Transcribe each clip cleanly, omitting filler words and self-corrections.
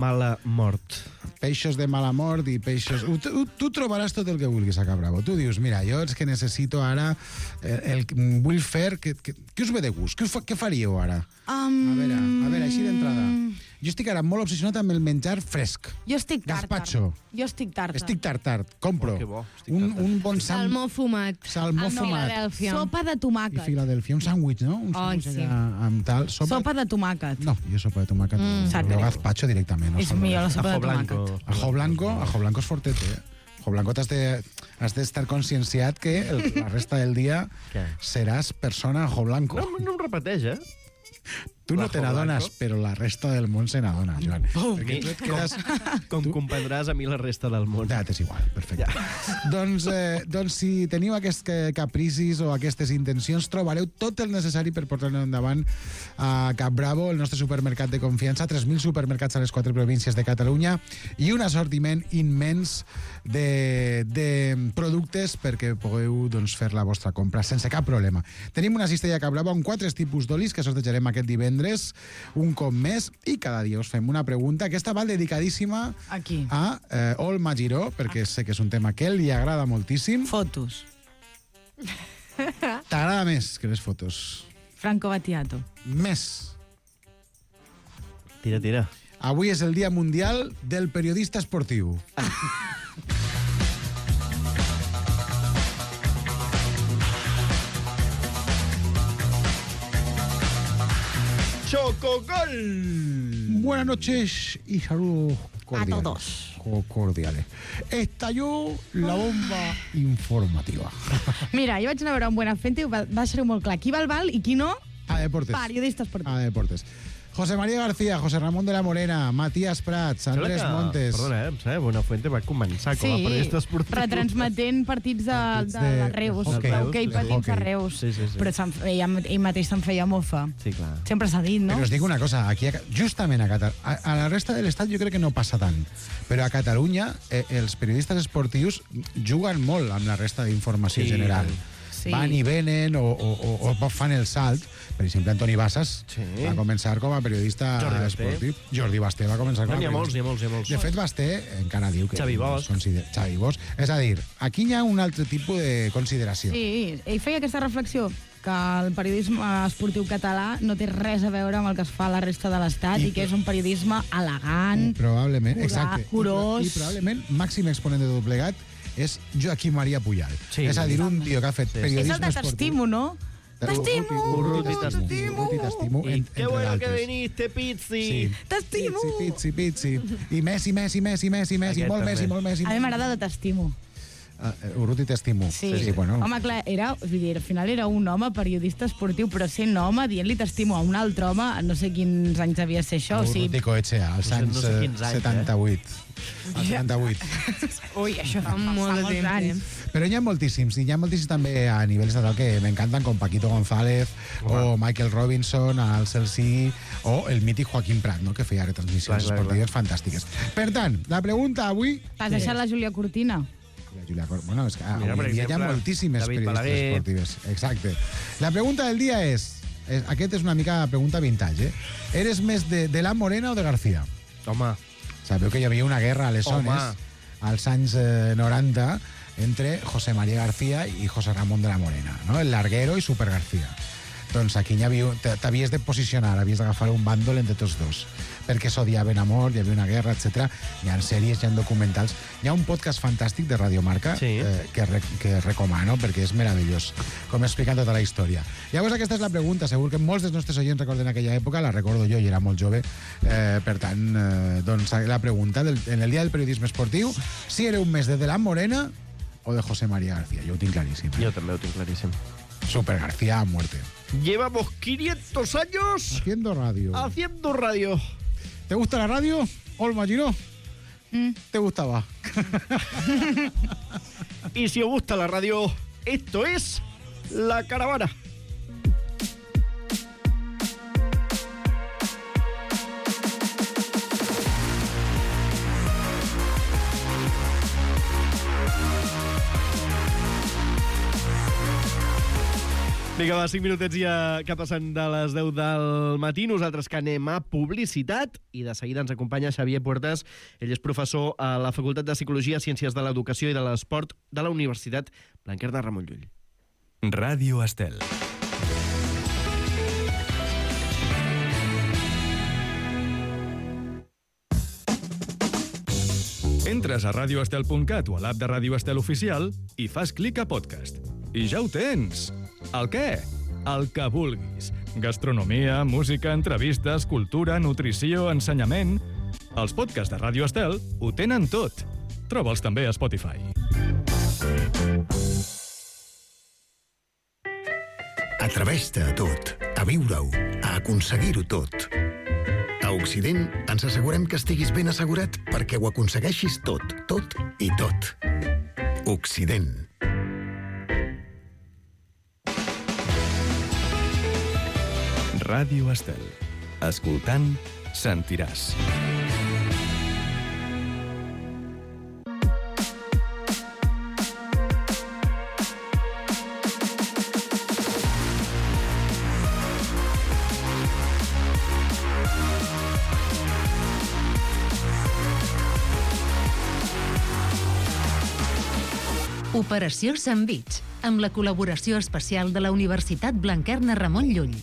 Mala mort. Peixos de mala mort i peixos... Tu trobaràs tot el que vulguis a Cabravo. Tu dius, mira, jo és que necessito ara... vull fer... Què us ve de gust? Què faríeu ara? A veure, així d'entrada. Jo estic ara molt obsessionat amb el menjar fresc. Jo estic tàrtar. Gazpacho. Jo estic tàrtar. Estic tàrtar. Compro. Que bo. Un bon Salmó fumat. Salmó fumat. Filadèlfia. Sopa de I tomàquet. Filadèlfia. Un sàndwich, no? Un sàndwich sí. amb tal. Sopa de tomàquet. No, jo sopa de tomàquet. sap Jo greu. gazpacho directament. No És salmó. millor la sopa de Ajo blanco. tomàquet. Ajo blanco és fortet, eh? Ajo blanco has d'estar conscienciat que la resta del dia Què? seràs persona ajo blanco. No em repeteix, eh? Tu no L'ajo te n'adones, blanco? però la resta del món se n'adona, Joan. Perquè tu et quedes... Com comprendràs, a mi la resta del món. Ja, t'és igual, perfecte. Doncs si teniu aquests capricis o aquestes intencions, trobareu tot el necessari per portar-lo endavant a Cap Bravo, el nostre supermercat de confiança, 3.000 supermercats a les 4 províncies de Catalunya i un assortiment immens de productes perquè pugueu fer la vostra compra sense cap problema. Tenim una cistella a Cap Bravo amb 4 tipus d'olis que sortejarem aquest divendres, un cop més, i cada dia us fem una pregunta. Aquesta va dedicadíssima Aquí. a Olma Giró, perquè sé que és un tema que li agrada moltíssim. Fotos. T'agrada més que les fotos. Franco Battiato. Més. Tira. Avui és el Dia Mundial del Periodista Esportiu. ¡Chocogol! Buenas noches y saludos cordiales. A todos. Cordiales. Estalló la bomba informativa. Mira, jo vaig anar a veure un Buenafuente i va ser molt clar. Qui va al Val i qui no, A deportes. periodista esportiu. A deportes. José María García, José Ramón de la Morena, Matías Prats, Andrés Montes. Perdona, em sembla que Buenafuente va començar com a periodista esportiu. retransmetent partits de Reus, hoquei, d'hoquei patins hoquei. a Reus. Sí. Però ell mateix se'n feia mofa. Sí, clar. Sempre s'ha dit, no? Però us dic una cosa, aquí, justament a Catalunya, a la resta de l'estat jo crec que no passa tant, però a Catalunya els periodistes esportius juguen molt amb la resta d'informació Sí, general. sí. Van i venen o fan el salt. Per exemple, Antoni Bassas va començar com a periodista Jordi Basté. esportiu. Jordi Basté va començar com a N'hi ha molts, periodista. n'hi ha molts. De fet, Basté encara diu que... Xavi Bosch. Xavi Bosch. És a dir, aquí hi ha un altre tipus de consideració. Sí, ell feia aquesta reflexió, que el periodisme esportiu català no té res a veure amb el que es fa a la resta de l'Estat i que és un periodisme elegant, Probablement, exacte. curós. I probablement màxim exponent de tot plegat és Joaquim Maria Pujal. Sí. És a dir, un tio que ha fet És periodisme el de t'estimo, no? T'estimo! Urruti, t'estimo. Y qué bueno que d'altres. viniste, Pizzi. Sí. T'estimo! Pizzi. I Messi, Aquest molt Messi, també. molt Messi. A mi m'agrada de t'estimo. Urruti, t'estimo. Sí. Bueno. Home, clar, vull dir, al final era un home periodista esportiu, però sent home, dient-li t'estimo a un altre home, no sé quins anys devia ser això. O sigui, Urruti Coetxea, als No sé- anys no sé quins anys, 78. Al 78. ui, això fa molt de molts temps, anys. Però hi ha moltíssims, i hi ha moltíssims també a nivell estatal que m'encanten, com Paquito González o Michael Robinson al Chelsea o el mític Joaquim Prat, no? Que feia retransmissions Clar. esportives fantàstiques. Per tant, la pregunta avui... T'has deixat la Júlia Cortina? La Julia Bueno, és que Mira, per avui dia hi ha exemple, moltíssimes David periodistes Balaguer. esportives. Exacte. La pregunta del dia és... Aquest és una mica pregunta vintage, eh? Eres més de la Morena o de García? Home, Sabeu que hi havia una guerra a les Home. zones als anys 90 entre José María García i José Ramón de la Morena, no? El Larguero i Super García. Doncs aquí t'havies de posicionar, havies d'agafar un bàndol entre tots dos, perquè s'odiaven a mort, hi havia una guerra, etc. Hi ha sèries, hi ha documentals. Hi ha un podcast fantàstic de Radio Marca Sí. que recomano perquè és meravellós, com expliquen tota la història. Llavors aquesta és la pregunta, segur que molts dels nostres oients recorden aquella època, la recordo jo i era molt jove, per tant, doncs la pregunta en el dia del periodisme esportiu, si éreu més de la Morena o de José María García. Jo ho tinc claríssim. jo també ho tinc claríssim. Super García a muerte. Llevamos 500 años Haciendo radio. haciendo radio. ¿Te gusta la radio? Olma Giró. ¿Te gustaba? Y si os gusta la radio, esto es La Caravana. Vinga, va, 5 minutets ja que passen de les 10 del matí. Nosaltres que anem a publicitat i de seguida ens acompanya Xavier Puertas. Ell és professor a la Facultat de Psicologia, Ciències de l'Educació i de l'Esport de la Universitat Blanquerna Ramon Llull. Ràdio Estel. Entres a radioestel.cat o a l'app de Ràdio Estel Oficial i fas clic a podcast. I ja ho tens! El què? El que vulguis. Gastronomia, música, entrevistes, cultura, nutrició, ensenyament... Els podcasts de Ràdio Estel ho tenen tot. Troba'ls també a Spotify. Atreveix-te a tot, a viure-ho, a aconseguir-ho tot. A Occident ens assegurem que estiguis ben assegurat perquè ho aconsegueixis tot, tot i tot. Occident. Ràdio Estel. Escoltant, sentiràs. Operació Sandvich, amb la col·laboració especial de la Universitat Blanquerna Ramon Llull.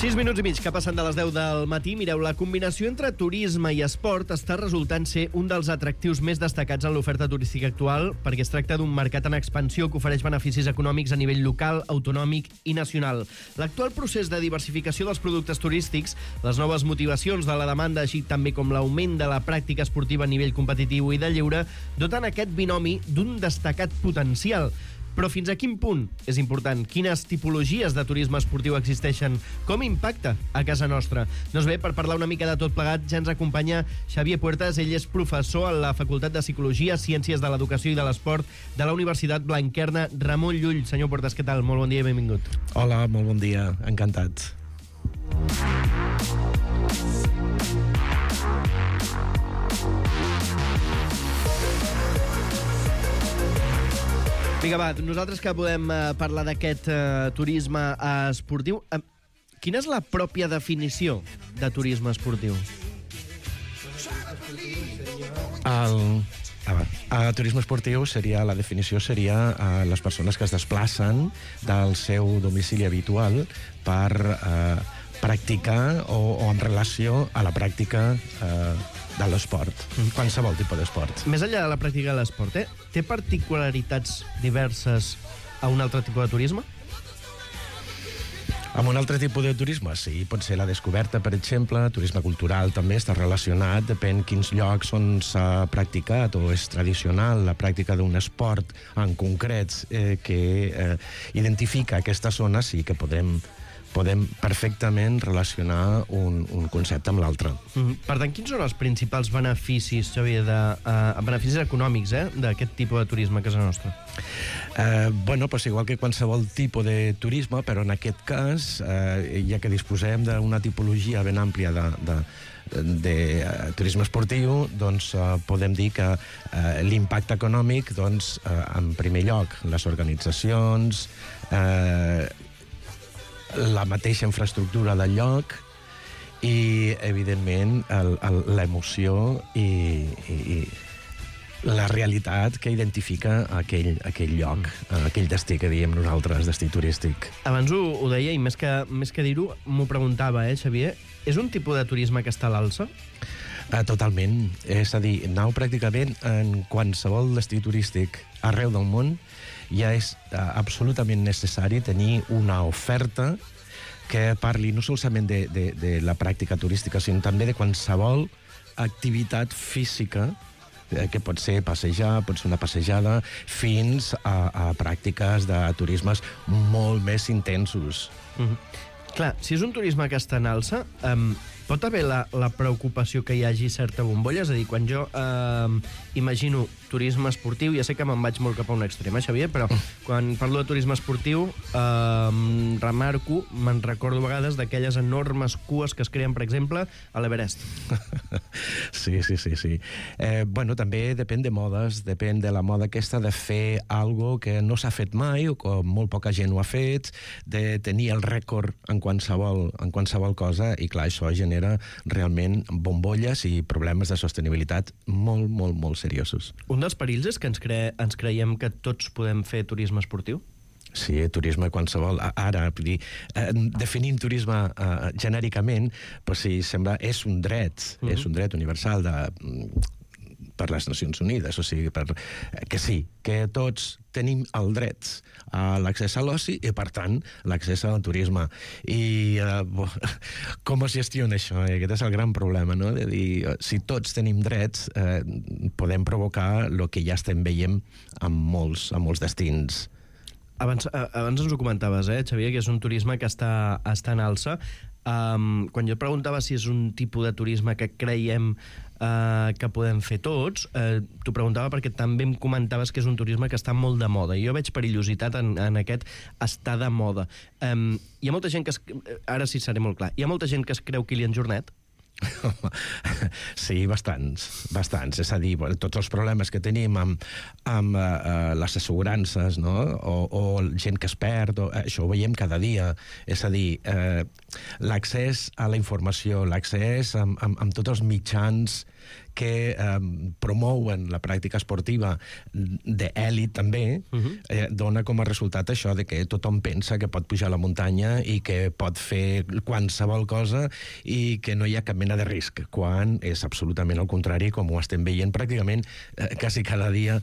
6 minuts i mig que passen de les 10 del matí. Mireu, la combinació entre turisme i esport està resultant ser un dels atractius més destacats en l'oferta turística actual, perquè es tracta d'un mercat en expansió que ofereix beneficis econòmics a nivell local, autonòmic i nacional. L'actual procés de diversificació dels productes turístics, les noves motivacions de la demanda, així també com l'augment de la pràctica esportiva a nivell competitiu i de lleure, doten aquest binomi d'un destacat potencial. Però fins a quin punt és important? Quines tipologies de turisme esportiu existeixen? Com impacta a casa nostra? Doncs bé, per parlar una mica de tot plegat, ja ens acompanya Xavier Puertas. Ell és professor a la Facultat de Psicologia, Ciències de l'Educació i de l'Esport de la Universitat Blanquerna Ramon Llull. Senyor Puertas, què tal? Molt bon dia i benvingut. Hola, molt bon dia. Encantat. Vinga, va, nosaltres que podem parlar d'aquest turisme esportiu, quina és la pròpia definició de turisme esportiu? El turisme esportiu seria, la definició seria les persones que es desplacen del seu domicili habitual per practicar o en relació a la pràctica de l'esport, qualsevol tipus d'esport. Més enllà de la pràctica de l'esport, té particularitats diverses a un altre tipus de turisme? Amb un altre tipus de turisme, sí. Pot ser la descoberta, per exemple. Turisme cultural també està relacionat. Depèn quins llocs on s'ha practicat o és tradicional la pràctica d'un esport en concret que identifica aquesta zona, sí que podem perfectament relacionar un concepte amb l'altre. Per tant, quins són els principals beneficis, Xavier, beneficis econòmics d'aquest tipus de turisme a casa nostra? Doncs igual que qualsevol tipus de turisme, però en aquest cas, ja que disposem d'una tipologia ben àmplia de turisme esportiu, doncs podem dir que l'impacte econòmic, doncs, en primer lloc, les organitzacions, la mateixa infraestructura del lloc i, evidentment, l'emoció i la realitat que identifica aquell lloc, aquell destí que diem nosaltres, destí turístic. Abans ho deia, i més que dir-ho, m'ho preguntava, Xavier, és un tipus de turisme que està a l'alça? Totalment. És a dir, aneu pràcticament en qualsevol destí turístic arreu del món. Ja és absolutament necessari tenir una oferta que parli no solament de la pràctica turística, sinó també de qualsevol activitat física, que pot ser passejar, pot ser una passejada, fins a pràctiques de turismes molt més intensos. Clar, si és un turisme que està en alça, Pot haver la preocupació que hi hagi certa bombolla? És a dir, quan jo imagino turisme esportiu, ja sé que me'n vaig molt cap a un extrem, Xavier, però quan parlo de turisme esportiu remarco, me'n recordo a vegades d'aquelles enormes cues que es creen, per exemple, a l'Everest. Sí. Bueno, també depèn de modes, depèn de la moda aquesta de fer algo que no s'ha fet mai o que molt poca gent ho ha fet, de tenir el rècord en qualsevol cosa, i clar, això genera realment bombolles i problemes de sostenibilitat molt, molt, molt seriosos. Un dels perills és que ens creiem que tots podem fer turisme esportiu? Sí, turisme qualsevol. Ara, definint turisme genèricament, però sí, sembla, és un dret universal per les Nacions Unides, o sigui, que sí, que tots tenim el dret a l'accés a l'oci i, per tant, l'accés al turisme. I com es gestiona això? Aquest és el gran problema, no? De dir, si tots tenim drets, podem provocar el que ja estem veient amb molts destins. Abans ens ho comentaves, Xavier, que és un turisme que està en alça. Quan jo et preguntava si és un tipus de turisme que creiem que podem fer tots, t'ho preguntava perquè també em comentaves que és un turisme que està molt de moda. Jo veig perillositat en aquest estar de moda. Hi ha molta gent que... Ara sí seré molt clar. Hi ha molta gent que es creu Kilian Jornet? Sí, bastants. És a dir, tots els problemes que tenim amb les assegurances, no? O gent que es perd, això ho veiem cada dia. És a dir, l'accés a la informació, l'accés amb tots els mitjans que promouen la pràctica esportiva d'èlit també, dona com a resultat això de que tothom pensa que pot pujar a la muntanya i que pot fer qualsevol cosa i que no hi ha cap mena de risc, quan és absolutament el contrari, com ho estem veient pràcticament quasi cada dia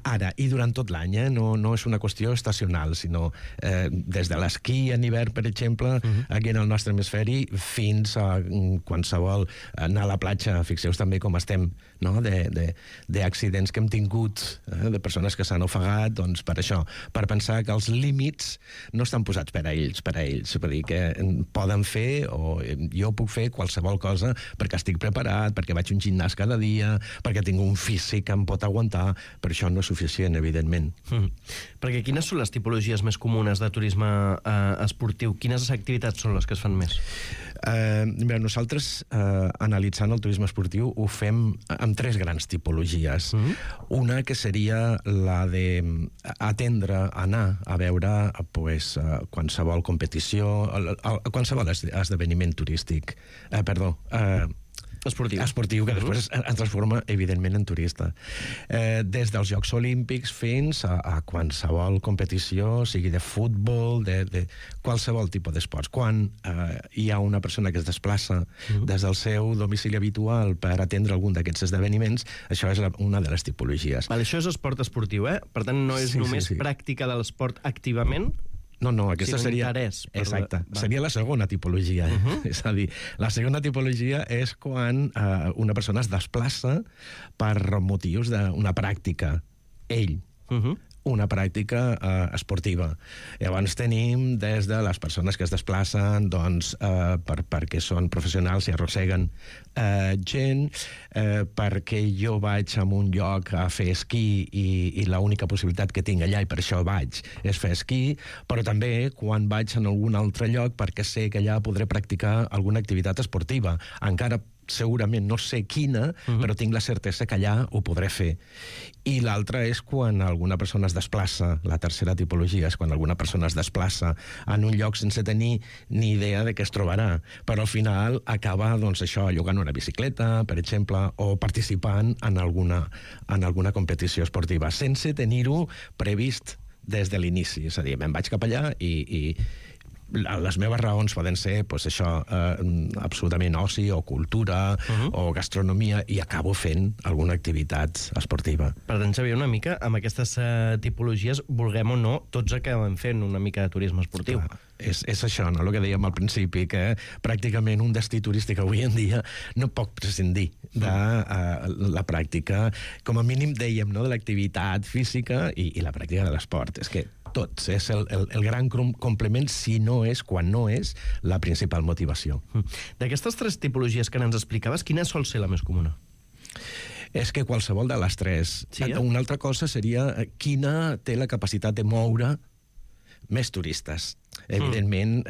ara i durant tot l'any, no és una qüestió estacional, sinó des de l'esquí en hivern, per exemple, aquí en el nostre hemisferi, fins a qualsevol anar a la platja. Fixeu-vos també com estem, no? d'accidents que hem tingut, de persones que s'han ofegat, doncs per això, per pensar que els límits no estan posats per a ells, per dir que poden fer, o jo puc fer qualsevol cosa perquè estic preparat, perquè vaig a un gimnàs cada dia, perquè tinc un físic que em pot aguantar. Per això no és suficient, evidentment. Perquè quines són les tipologies més comunes de turisme esportiu? Quines activitats són les que es fan més? Nosaltres, analitzant el turisme esportiu, ho fem amb 3 grans tipologies. Una que seria la d'atendre, anar a veure qualsevol competició, qualsevol esdeveniment turístic. Esportiu, que després es transforma, evidentment, en turista. Des dels Jocs Olímpics fins a qualsevol competició, sigui de futbol, de qualsevol tipus d'esports. Quan hi ha una persona que es desplaça des del seu domicili habitual per atendre algun d'aquests esdeveniments, això és una de les tipologies. Això és esport esportiu, Per tant, no és només pràctica de l'esport activament? No, aquesta seria... Exacte. Seria la segona tipologia. És a dir, la segona tipologia és quan una persona es desplaça per motius d'una pràctica. Una pràctica esportiva. Llavors tenim des de les persones que es desplacen perquè són professionals i arrosseguen gent, perquè jo vaig a un lloc a fer esquí i l'única possibilitat que tinc allà, i per això vaig, és fer esquí, però també quan vaig en algun altre lloc perquè sé que allà podré practicar alguna activitat esportiva. Encara segurament no sé quina, però tinc la certesa que allà ho podré fer. I l'altra és quan alguna persona es desplaça, la tercera tipologia és quan alguna persona es desplaça en un lloc sense tenir ni idea de què es trobarà, però al final acaba, llogant una bicicleta, per exemple, o participant en alguna competició esportiva, sense tenir-ho previst des de l'inici. És a dir, me'n vaig cap allà i les meves raons poden ser absolutament oci o cultura o gastronomia, i acabo fent alguna activitat esportiva. Per tant, Xavier, una mica, amb aquestes tipologies, vulguem o no, tots acabem fent una mica de turisme esportiu. És això, no? El que dèiem al principi, que pràcticament un destí turístic avui en dia no pot prescindir de la pràctica, com a mínim dèiem, no? De l'activitat física i la pràctica de l'esport. És que tot. És el gran complement, si no és, quan no és, la principal motivació. D'aquestes 3 tipologies que ens explicaves, quina sol ser la més comuna? És que qualsevol de les 3. Sí, Una altra cosa seria quina té la capacitat de moure més turistes. Evidentment,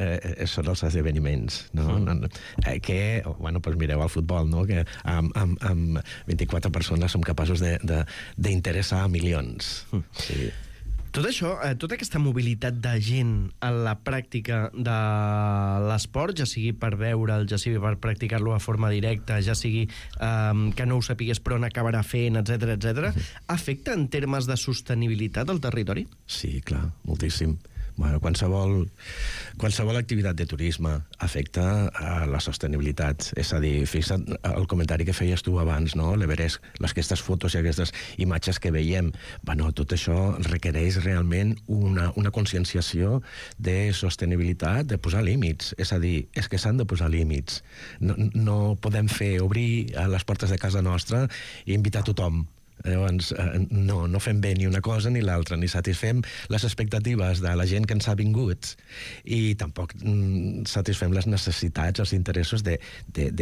són els esdeveniments, no? Que, bueno, doncs mireu el futbol, no? Que amb 24 persones som capaços d'interessar a milions. Sí. Tot això, tota aquesta mobilitat de gent a la pràctica de l'esport, ja sigui per veure'l, ja sigui per practicar-lo de forma directa, ja sigui que no ho sapigués però n'acabarà fent, etc, afecta en termes de sostenibilitat al territori? Sí, clar, moltíssim. Bueno, qualsevol activitat de turisme afecta a la sostenibilitat. És a dir, fixa't el comentari que feies tu abans, no? L'Everest, aquestes fotos i aquestes imatges que veiem. Bueno, tot això requereix realment una conscienciació de sostenibilitat, de posar límits. És a dir, és que s'han de posar límits. No podem obrir les portes de casa nostra i invitar tothom. Llavors, no fem bé ni una cosa ni l'altra, ni satisfem les expectatives de la gent que ens ha vingut i tampoc satisfem les necessitats, els interessos de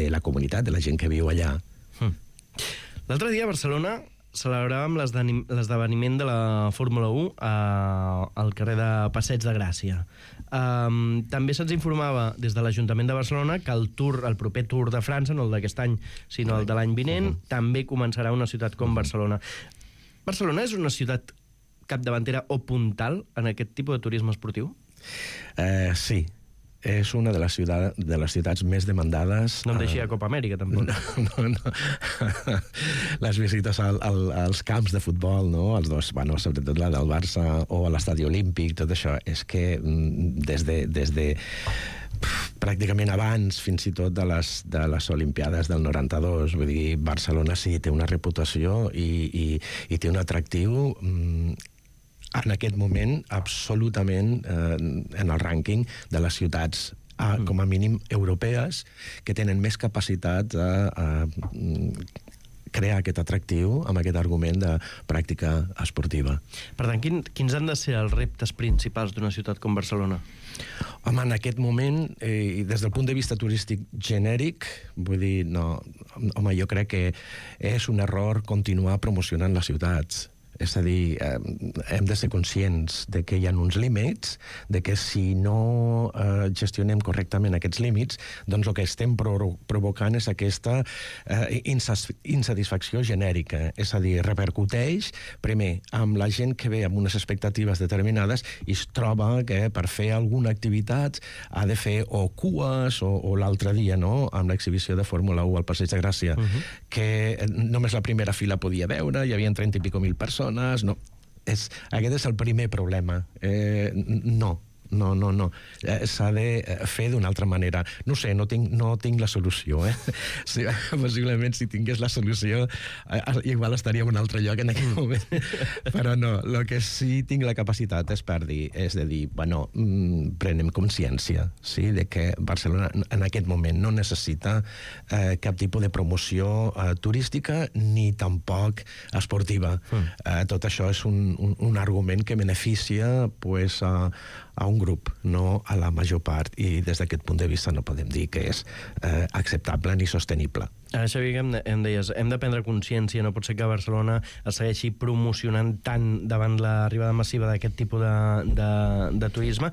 la comunitat, de la gent que viu allà. L'altre dia a Barcelona celebràvem l'esdeveniment de la Fórmula 1 al carrer de Passeig de Gràcia. També se'ns informava des de l'Ajuntament de Barcelona que el proper Tour de França, no el d'aquest any, sinó el de l'any vinent, també començarà a una ciutat com Barcelona. Barcelona és una ciutat capdavantera o puntal en aquest tipus de turisme esportiu? Sí. És una de les ciutats més demandades... No em deixi a Copa Amèrica, tampoc. No. Les visites als camps de futbol, no? Els dos, bueno, sobretot la del Barça o a l'estadi olímpic, tot això, és que des de pràcticament abans, fins i tot de les Olimpiades del 92, vull dir, Barcelona sí té una reputació i té un atractiu en aquest moment absolutament en el rànquing de les ciutats com a mínim europees que tenen més capacitat de crear aquest atractiu amb aquest argument de pràctica esportiva. Per tant, quins han de ser els reptes principals d'una ciutat com Barcelona? Home, en aquest moment, i des del punt de vista turístic genèric, vull dir, no, home, jo crec que és un error continuar promocionant les ciutats. És a dir, hem de ser conscients de que hi ha uns límits, de que si no gestionem correctament aquests límits, doncs el que estem provocant és aquesta insatisfacció genèrica. És a dir, repercuteix, primer, amb la gent que ve amb unes expectatives determinades i es troba que per fer alguna activitat ha de fer o cues o l'altre dia, no?, amb l'exhibició de Fórmula 1 al Passeig de Gràcia, que només la primera fila podia veure, hi havia 30 i pico mil persones. No. Aquest és el primer problema. No. S'ha de fer d'una altra manera. No sé, no tinc la solució. Sí, possiblement, si tingués la solució, igual estaria en un altre lloc en aquell moment. Però no, el que sí tinc la capacitat és de dir, bueno, prenem consciència, sí, de que Barcelona en aquest moment no necessita cap tipus de promoció turística ni tampoc esportiva. Tot això és un argument que beneficia pues, a un grup, no a la major part, i des d'aquest punt de vista no podem dir que és acceptable ni sostenible. Ara, Xavi, em deies, hem de prendre consciència, no pot ser que Barcelona es segueixi promocionant tant davant l'arribada massiva d'aquest tipus de turisme.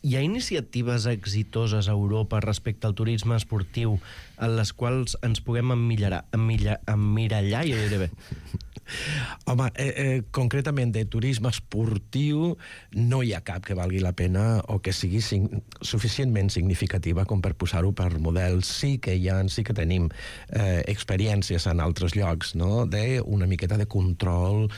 Hi ha iniciatives exitoses a Europa respecte al turisme esportiu en les quals ens puguem emmirallar, jo diré bé? Home, concretament de turisme esportiu no hi ha cap que valgui la pena o que sigui suficientment significativa com per posar-ho per models. Sí que tenim experiències en altres llocs, no?, d'una miqueta de control,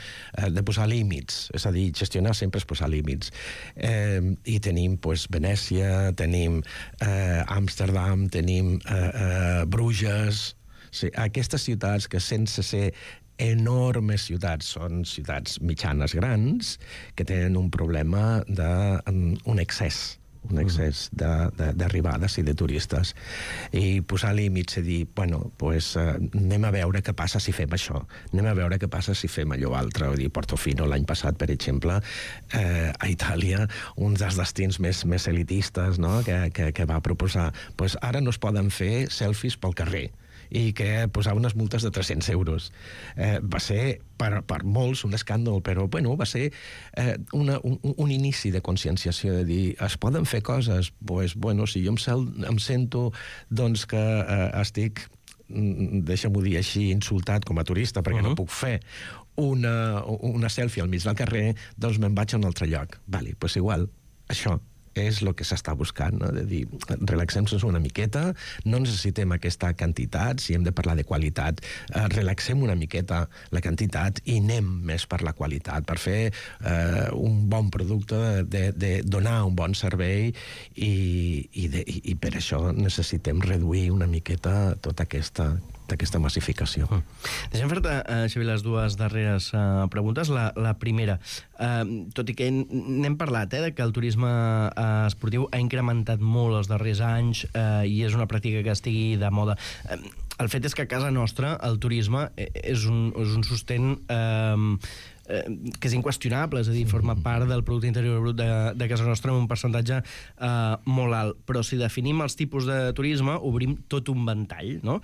de posar límits, és a dir, gestionar sempre és posar límits. I tenim Venècia, tenim Amsterdam, tenim Bruges, sí, aquestes ciutats que sense ser enormes ciutats, són ciutats mitjanes grans que tenen un problema d'un excés d'arribades i de turistes. I posar límits i dir, bueno, pues, anem a veure què passa si fem això, anem a veure què passa si fem allò altre. Vull dir, Portofino l'any passat, per exemple, a Itàlia, un dels destins més elitistes, no?, que va proposar, pues, ara no es poden fer selfies pel carrer, i que posava unes multes de 300 euros. Va ser, per molts, un escàndol, però bueno, va ser un inici de conscienciació, de dir, es poden fer coses? Pues, bueno, si jo em sento doncs, que estic, deixa'm-ho dir així, insultat com a turista, perquè no puc fer una selfie al mig del carrer, doncs me'n vaig a un altre lloc. Vale, pues igual, això és el que s'està buscant, no? De dir, relaxem-nos una miqueta, no necessitem aquesta quantitat, si hem de parlar de qualitat, relaxem una miqueta la quantitat i anem més per la qualitat, per fer un bon producte, de donar un bon servei, i per això necessitem reduir una miqueta tota aquesta massificació. Deixem fer-te, Xavier, les dues darreres preguntes. La primera, tot i que n'hem parlat, de que el turisme esportiu ha incrementat molt els darrers anys i és una pràctica que estigui de moda. El fet és que a casa nostra el turisme és un sostén que és inqüestionable, és a dir, forma part del Producte Interior Brut de casa nostra amb un percentatge molt alt. Però si definim els tipus de turisme, obrim tot un ventall, no?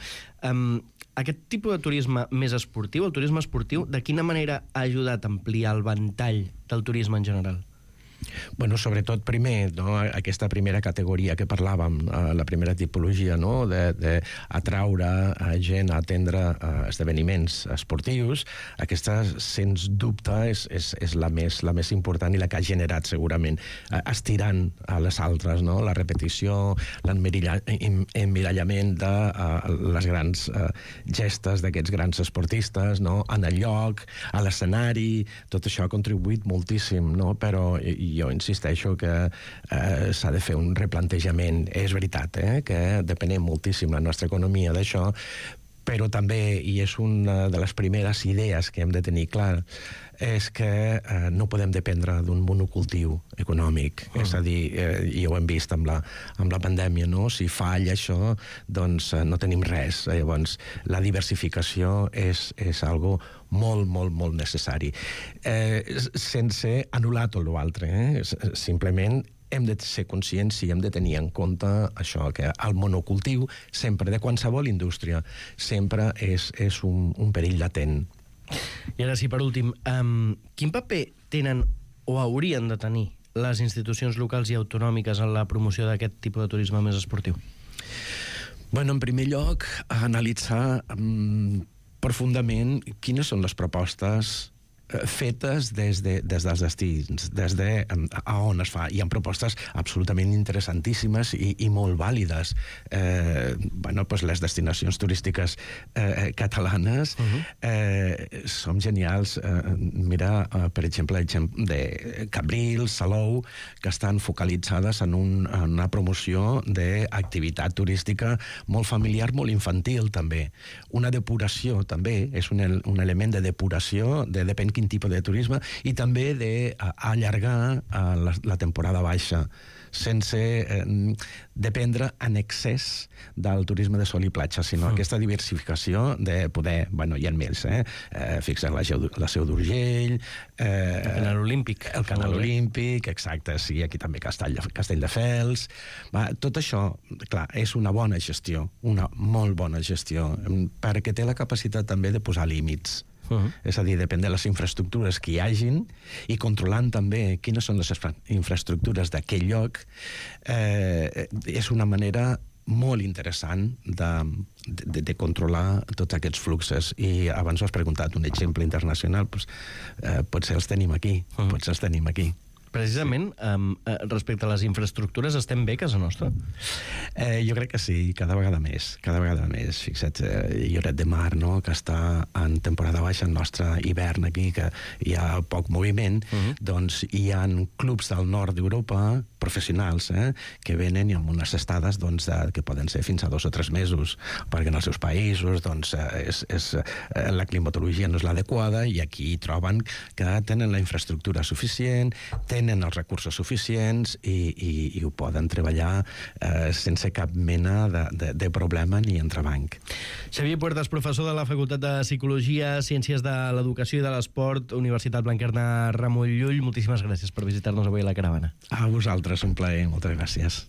Aquest tipus de turisme més esportiu, el turisme esportiu, de quina manera ha ajudat a ampliar el ventall del turisme en general? Bueno, sobretot primer, no, aquesta primera categoria que parlàvem, la primera tipologia, no, d'atraure gent a atendre esdeveniments esportius, aquesta, sens dubte, és la més important i la que ha generat, segurament, estirant a les altres, no? La repetició, l'emmirallament de les grans gestes d'aquests grans esportistes, no? En el lloc, a l'escenari, tot això ha contribuït moltíssim, no? Però jo insisteixo que s'ha de fer un replantejament. És veritat, que depenem moltíssim la nostra economia d'això, però també, i és una de les primeres idees que hem de tenir clar, és que no podem dependre d'un monocultiu econòmic. És a dir, i ho hem vist amb la pandèmia, no? Si falla això, doncs no tenim res. Llavors, la diversificació és algo molt, molt, molt necessari. Sense anul·lar tot l'altre. Simplement hem de ser conscients i hem de tenir en compte això, que el monocultiu, sempre, de qualsevol indústria, sempre és un perill latent. I ara sí, per últim, quin paper tenen o haurien de tenir les institucions locals i autonòmiques en la promoció d'aquest tipus de turisme més esportiu? Bueno, en primer lloc, analitzar profundament quines són les propostes fetes des dels destins, des de a on es fa. Hi ha propostes absolutament interessantíssimes i molt vàlides. Les destinacions turístiques catalanes són genials. Mira, per exemple, de Cabrils, Salou, que estan focalitzades en una promoció d'activitat turística molt familiar, molt infantil, també. Una depuració, també, és un element de depuració, depèn quin tipus de turisme, i també d'allargar la temporada baixa, sense dependre en excés del turisme de sol i platja, sinó aquesta diversificació de poder, hi ha més, fixar la Seu d'Urgell, el Canal Olímpic. El Canal Olímpic, exacte, sí, aquí també Castelldefels. Tot això, clar, és una bona gestió, una molt bona gestió, perquè té la capacitat també de posar límits. És a dir, depèn de les infraestructures que hi hagin i controlant també quines són les infraestructures d'aquell lloc, és una manera molt interessant de controlar tots aquests fluxes. I abans has preguntat un exemple internacional, potser els tenim aquí, Precisament, respecte a les infraestructures, estem bé a casa nostra? Jo crec que sí, cada vegada més. Fixa't, Lloret de Mar, no?, que està en temporada baixa, el nostre hivern aquí, que hi ha poc moviment, doncs hi ha clubs del nord d'Europa, professionals, que venen amb unes estades que poden ser fins a 2 o 3 mesos, perquè en els seus països la climatologia no és l'adequada, i aquí troben que tenen la infraestructura suficient, tenen tenen els recursos suficients i ho poden treballar sense cap mena de problema ni entrebanc. Xavier Puertas, professor de la Facultat de Psicologia, Ciències de l'Educació i de l'Esport, Universitat Blanquerna Ramon Llull, moltíssimes gràcies per visitar-nos avui a la caravana. A vosaltres, un plaer, moltes gràcies.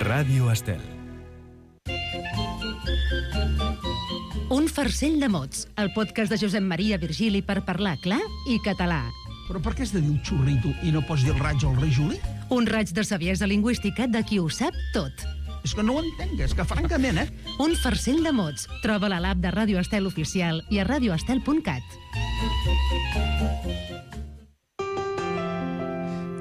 Ràdio Estel. Un farcell de mots, el podcast de Josep Maria Virgili per parlar clar i català. Però per què has de dir un xurrito i no pots dir el raig o el rei Juli? Un raig de saviesa lingüística de qui ho sap tot. És que no ho entenc, és que francament, Un farcell de mots. Troba-la a l'app de Ràdio Estel Oficial i a radioestel.cat.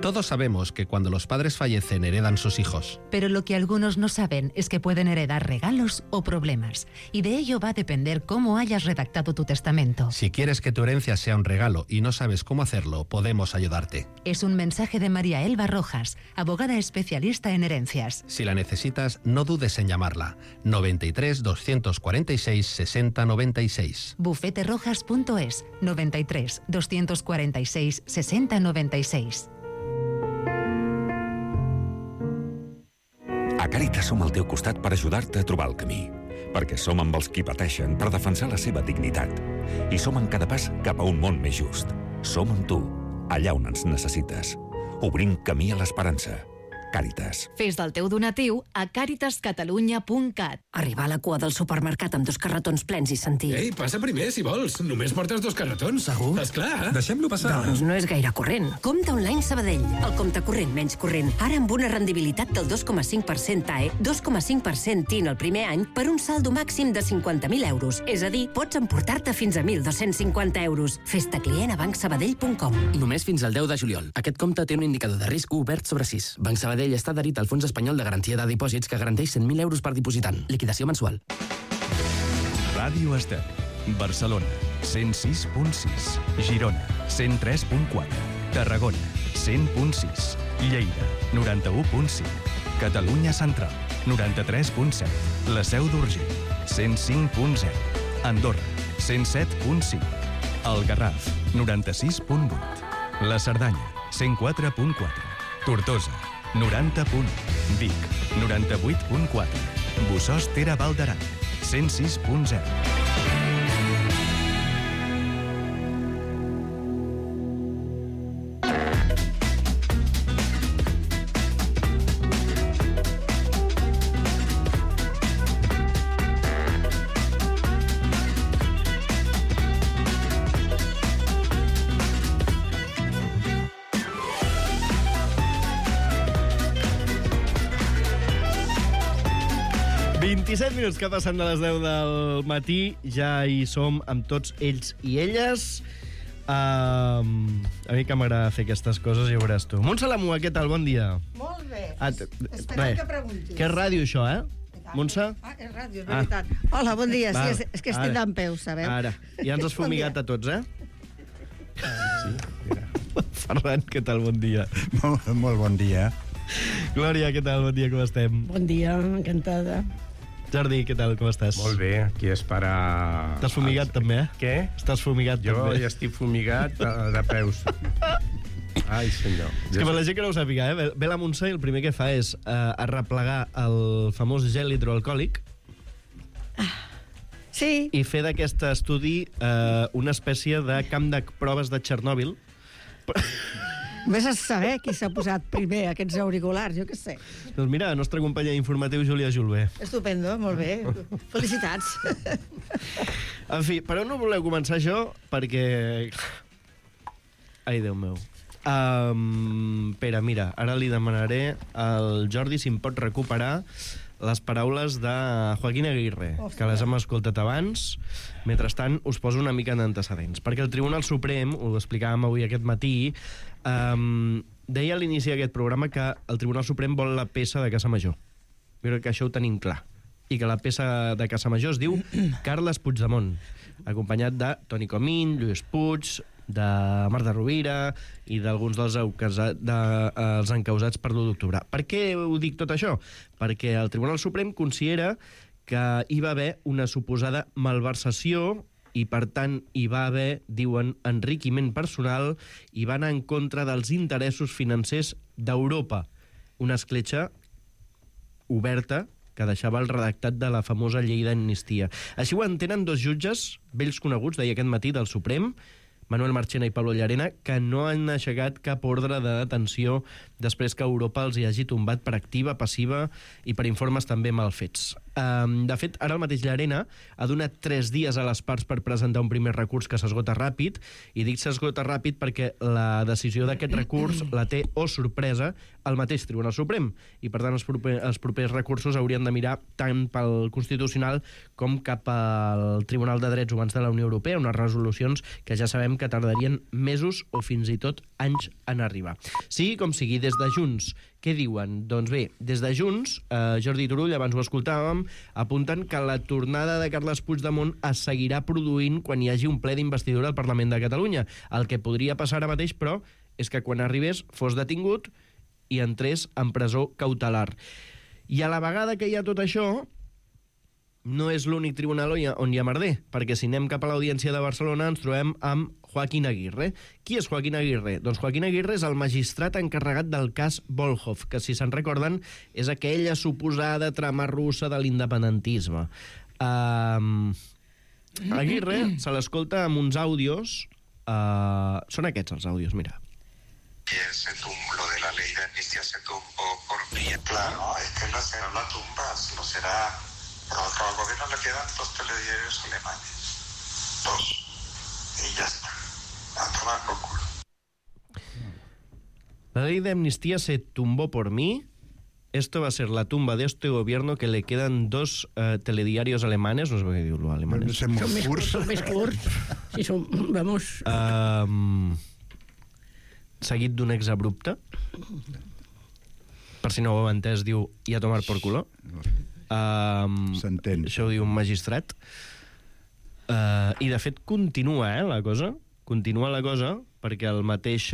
Todos sabemos que cuando los padres fallecen heredan sus hijos. Pero lo que algunos no saben es que pueden heredar regalos o problemas. Y de ello va a depender cómo hayas redactado tu testamento. Si quieres que tu herencia sea un regalo y no sabes cómo hacerlo, podemos ayudarte. Es un mensaje de María Elba Rojas, abogada especialista en herencias. Si la necesitas, no dudes en llamarla. 93 246 60 96. bufeterojas.es 93 246 60 96. A Càritas som al teu costat per ajudar-te a trobar el camí. Perquè som amb els qui pateixen per defensar la seva dignitat. I som en cada pas cap a un món més just. Som amb tu, allà on ens necessites. Obrim camí a l'esperança. Càritas. Fes del teu donatiu a caritascatalunya.cat. Arribar a la cua del supermercat amb 2 carretons plens i sentir... Ei, passa primer, si vols. Només portes 2 carretons. Segur? Esclar. Deixem-lo passar. Doncs no és gaire corrent. Compte online Sabadell. El compte corrent menys corrent. Ara amb una rendibilitat del 2,5% TAE, 2,5% TIN el primer any per un saldo màxim de 50.000 euros. És a dir, pots emportar-te fins a 1.250 euros. Fes-te client a bancsabadell.com. Només fins al 10 de juliol. Aquest compte té un indicador de risc obert sobre 6. Banc Sabadell està adherit al Fons Espanyol de Garantia de Dipòsits que garanteix 100.000 euros per dipositant. Liquidació mensual. Ràdio Estel. Barcelona, 106.6. Girona, 103.4. Tarragona, 100.6. Lleida, 91.5. Catalunya Central, 93.7. La Seu d'Urgell, 105.0. Andorra, 107.5. El Garraf, 96.8. La Cerdanya, 104.4. Tortosa, 90.1. Vic, 98.4. Bossòst Ter Val d'Aran, 106.0. Minuts que passen de les 10 del matí, ja hi som amb tots ells i elles. A mi que m'agrada fer aquestes coses, ja veuràs tu. Montse Lamua, què tal? Bon dia. Molt bé. Espereu que preguntis. Que és ràdio, això, Montse? És ràdio, és veritat. Hola, bon dia. Sí, és que estic d'en peu, sabeu? Ara, ja ens has fumigat a tots, Sí, mira. Ferran, què tal? Bon dia. Molt bon dia. Glòria, què tal? Bon dia, com estem? Bon dia, encantada. Jordi, què tal, com estàs? Molt bé, aquí és per a... Estàs fumigat, també, Què? Estàs fumigat, jo també. Jo ja estic fumigat de peus. Ai, senyor. És que per la gent que no ho sàpiga, ve la Montse i el primer que fa és arreplegar el famós gel hidroalcohòlic Sí. i fer d'aquest estudi una espècie de camp de proves de Txernòbil. Vés a saber qui s'ha posat primer aquests auriculars, jo què sé. Doncs mira, la nostra companya informatiu, Júlia Julbé. Estupendo, molt bé. Felicitats. En fi, per on no voleu començar això? Perquè... Ai, Déu meu. Pere, mira, ara li demanaré al Jordi si em pot recuperar les paraules de Joaquín Aguirre, que les hem escoltat abans. Mentrestant, us poso una mica d'antecedents. Perquè el Tribunal Suprem, ho explicàvem avui aquest matí, deia a l'inici d'aquest programa que el Tribunal Suprem vol la peça de Casa Major. Jo crec que això ho tenim clar. I que la peça de Casa Major es diu Carles Puigdemont, acompanyat de Toni Comín, Lluís Puig, de Marta Rovira i d'alguns dels encausats per l'1 d'octubre. Per què ho dic tot això? Perquè el Tribunal Suprem considera que hi va haver una suposada malversació i, per tant, hi va haver, diuen, enriquiment personal i va anar en contra dels interessos financers d'Europa. Una escletxa oberta que deixava el redactat de la famosa llei d'amnistia. Així ho entenen dos jutges, vells coneguts, deia aquest matí, del Suprem, Manuel Marchena i Pablo Llarena, que no han aixecat cap ordre de detenció després que Europa els hi hagi tombat per activa, passiva i per informes també mal fets. De fet, ara el mateix Llarena ha donat 3 dies a les parts per presentar un primer recurs que s'esgota ràpid, i dic s'esgota ràpid perquè la decisió d'aquest recurs la té, oh sorpresa, el mateix Tribunal Suprem, i per tant els propers recursos haurien de mirar tant pel Constitucional com cap al Tribunal de Drets Humans de la Unió Europea, unes resolucions que ja sabem que tardarien mesos o fins i tot anys en arribar. Sigui com sigui, des de Junts, què diuen? Doncs bé, des de Junts, Jordi Turull, abans ho escoltàvem, apunten que la tornada de Carles Puigdemont es seguirà produint quan hi hagi un ple d'investidura al Parlament de Catalunya. El que podria passar ara mateix, però, és que quan arribés fos detingut i entrés en presó cautelar. I a la vegada que hi ha tot això, no és l'únic tribunal on hi ha merder, perquè si anem cap a l'Audiència de Barcelona ens trobem amb Joaquín Aguirre. Qui és Joaquín Aguirre? Doncs Joaquín Aguirre és el magistrat encarregat del cas Volhov, que, si se'n recorden, és aquella suposada trama russa de l'independentisme. Aguirre se l'escolta amb uns àudios. Són aquests els àudios, mira. Lo de la ley de amnistía se tumbó por mí. Claro, es que no será la tumba, no será... Pronto al gobierno le quedan 2 telediarios alemanes. 2. Y ya está. A tomar por culo. La ley de amnistía se tumbó por mí. Esto va a ser la tumba de este gobierno que le quedan 2 telediarios alemanes. No sé per què diu-lo alemanes. Són més curts. Sí, són, vamos... Seguit d'un exabrupte. Per si no ho heu entès, diu i a tomar por culo. S'entén. Això ho diu un magistrat. I de fet continua, la cosa. Continua la cosa, perquè el mateix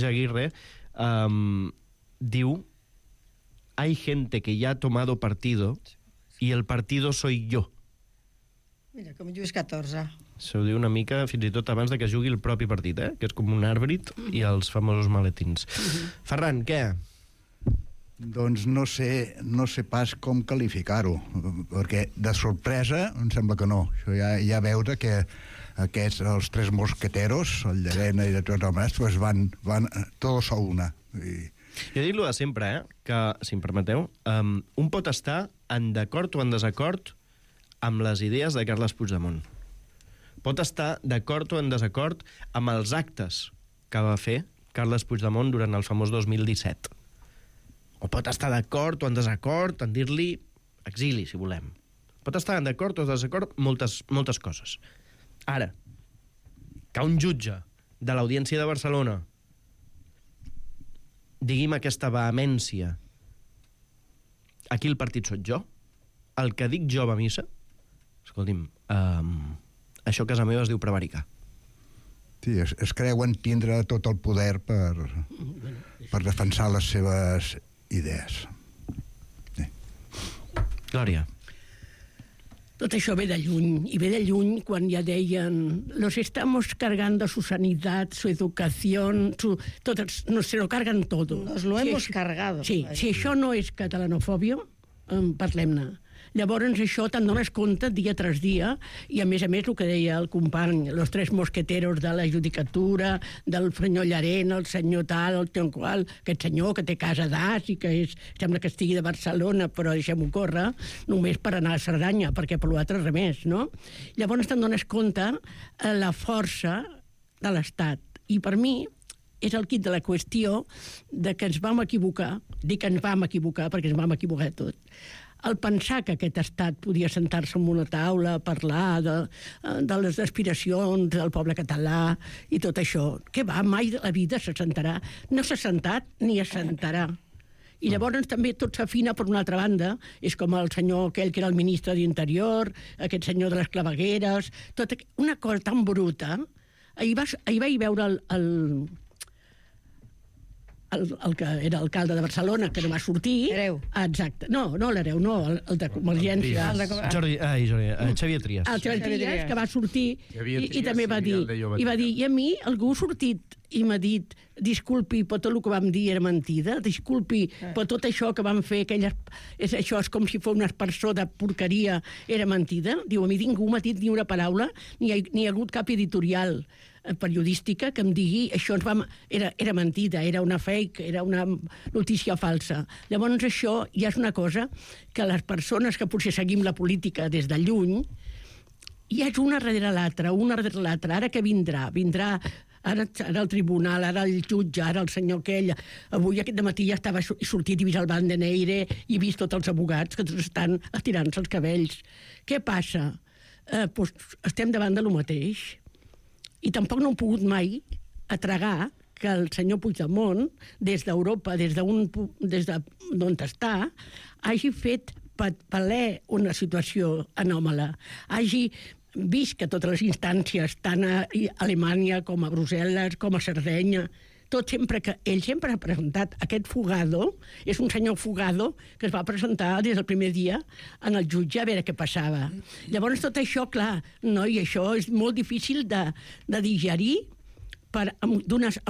Aguirre diu: hay gente que ya ha tomado partido y el partido soy yo. Mira, com Lluís XIV. Això ho diu una mica fins i tot abans de que jugui el propi partit, que és com un àrbit i els famosos maletins. Ferran, què? Doncs no sé pas com qualificar-ho, perquè de sorpresa em sembla que no. Això ja veure que aquests, els 3 mosqueteros, el Llarena i de tots els altres, pues van todos a una. Jo dic-lo de sempre, que, si em permeteu, un pot estar en d'acord o en desacord amb les idees de Carles Puigdemont. Pot estar d'acord o en desacord amb els actes que va fer Carles Puigdemont durant el famós 2017. O pot estar d'acord o en desacord en dir-li exili, si volem. Pot estar en d'acord o en desacord moltes coses. Ara, que un jutge de l'Audiència de Barcelona digui amb aquesta vehemència: aquí el partit sóc jo, el que dic jo va a missa, escolti'm, això a casa meva es diu prevaricar. Sí, es creuen tindre tot el poder per defensar les seves idees. Sí. Glòria. Tot això ve de lluny, i ve de lluny quan ja deien los estamos cargando su sanidad, su educación, nos se lo cargan todo. Nos lo hemos cargado. Sí, si això no és catalanofòbia, parlem-ne. Llavors això te'n dones compte dia tras dia, i a més el que deia el company, los 3 mosqueteros de la judicatura, del senyor Llarena, el senyor tal, el teu qual, aquest senyor que té casa d'as i que sembla que estigui de Barcelona, però deixem-ho córrer, només per anar a Cerdanya, perquè per l'altre res més, no? Llavors te'n dones compte la força de l'Estat. I per mi és el quid de la qüestió de que ens vam equivocar, dic que ens vam equivocar perquè ens vam equivocar tot. El pensar que aquest estat podia sentar-se en una taula a parlar de les aspiracions del poble català i tot això, que va, mai de la vida se sentarà. No s'ha sentat ni es sentarà. I llavors també tot s'afina per una altra banda. És com el senyor aquell que era el ministre d'Interior, aquest senyor de les clavegueres, una cosa tan bruta. Ahir vaig veure el que era alcalde de Barcelona, que no va sortir... Hereu. Exacte. No, l'Hereu, no, el de Convergència. Xavier Trias. El Xavier Trias, que va sortir i també va dir... I a mi algú ha sortit i m'ha dit, disculpi, però tot el que vam dir era mentida, disculpi, però tot això que vam fer, això és com si fos una aspersor de porqueria, era mentida. Diu, a mi ningú m'ha dit ni una paraula, ni ha hagut cap editorial periodística que em digui això era mentida, era una fake, era una notícia falsa. Llavors això ja és una cosa que les persones que potser seguim la política des de lluny, ja és una darrere l'altra, ara que vindrà ara el tribunal, ara el jutge, ara el senyor aquell. Avui aquest dematí ja estava sortit i vist el Van den Eyre i vist tots els advocats que tots estan estirant-se els cabells. Què passa? Estem davant de lo mateix. I tampoc no hem pogut mai atragar que el senyor Puigdemont, des d'Europa, des d'on està, hagi fet valer una situació anòmala, hagi vist que totes les instàncies, tant a Alemanya com a Brussel·les, com a Sardenya, ell sempre ha presentat aquest Fugado, és un senyor Fugado que es va presentar des del primer dia en el jutge a veure què passava. Llavors tot això, clar, i això és molt difícil de digerir en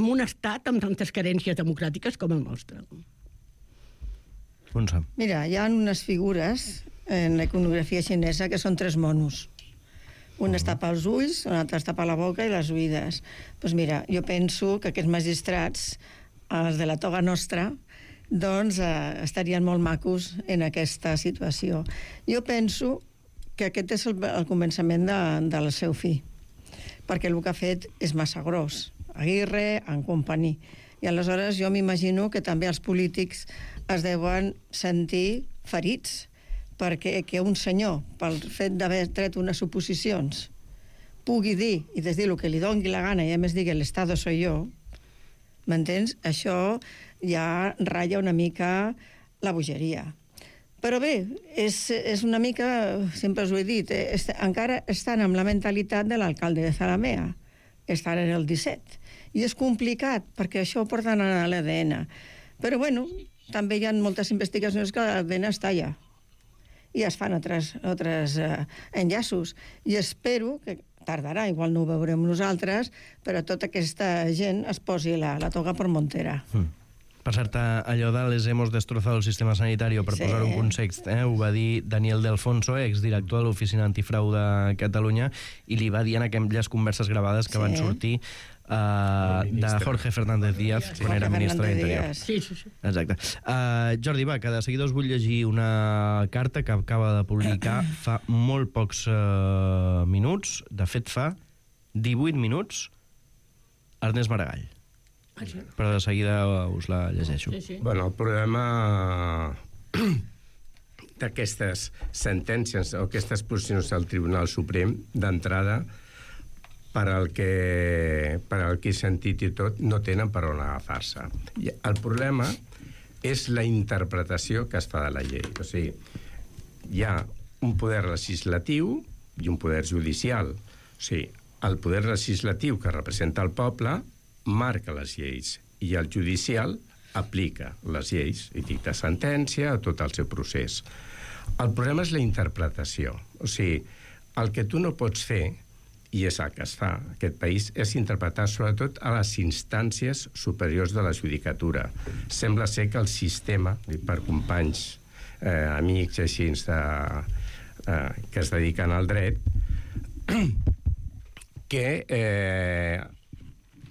un estat amb tantes carències democràtiques com el nostre. Mira, hi ha unes figures en la iconografia xinesa que són 3 monos. Un es tapa els ulls, un altre es tapa la boca i les oïdes. Doncs mira, jo penso que aquests magistrats, els de la toga nostra, doncs estarien molt macos en aquesta situació. Jo penso que aquest és el començament del seu fi, perquè el que ha fet és massa gros. Aguirre, en companyia. I aleshores jo m'imagino que també els polítics es deuen sentir ferits, perquè que un senyor, pel fet d'haver tret unes suposicions, pugui dir i dir el que li doni la gana i a més digui l'Estado soy yo, m'entens? Això ja ratlla una mica la bogeria. Però bé, és una mica, sempre us ho he dit, encara estan amb la mentalitat de l'alcalde de Zalamea, estan en el 17. I és complicat, perquè això ho porten a l'ADN. Però bueno, també hi ha moltes investigacions que l'ADN està allà. I es fan altres enllaços. I espero que tardarà, igual no ho veurem nosaltres, però tota aquesta gent es posi la toga per Montera. Per cert, allò de les hemos destrozado el sistema sanitario, per posar un context, ho va dir Daniel de Alfonso, exdirector de l'Oficina Antifrau de Catalunya, i li va dir en aquelles converses gravades que van sortir de Jorge Fernández Díaz, quan era ministre d'Interior. Sí. Exacte. Jordi, va, que de seguida us vull llegir una carta que acaba de publicar fa molt pocs minuts, de fet fa 18 minuts, Ernest Maragall. Però de seguida us la llegeixo. Bueno, el problema d'aquestes sentències o aquestes posicions del Tribunal Suprem, d'entrada, per al que he sentit i tot, no tenen per on agafar-se. El problema és la interpretació que es fa de la llei. O sigui, hi ha un poder legislatiu i un poder judicial. O sigui, el poder legislatiu, que representa el poble, marca les lleis, i el judicial aplica les lleis i dicta sentència a tot el seu procés. El problema és la interpretació. O sigui, el que tu no pots fer, i és el que es fa en aquest país, és interpretar sobretot a les instàncies superiors de la judicatura. Sembla ser que el sistema, per companys, amics així que es dediquen al dret, que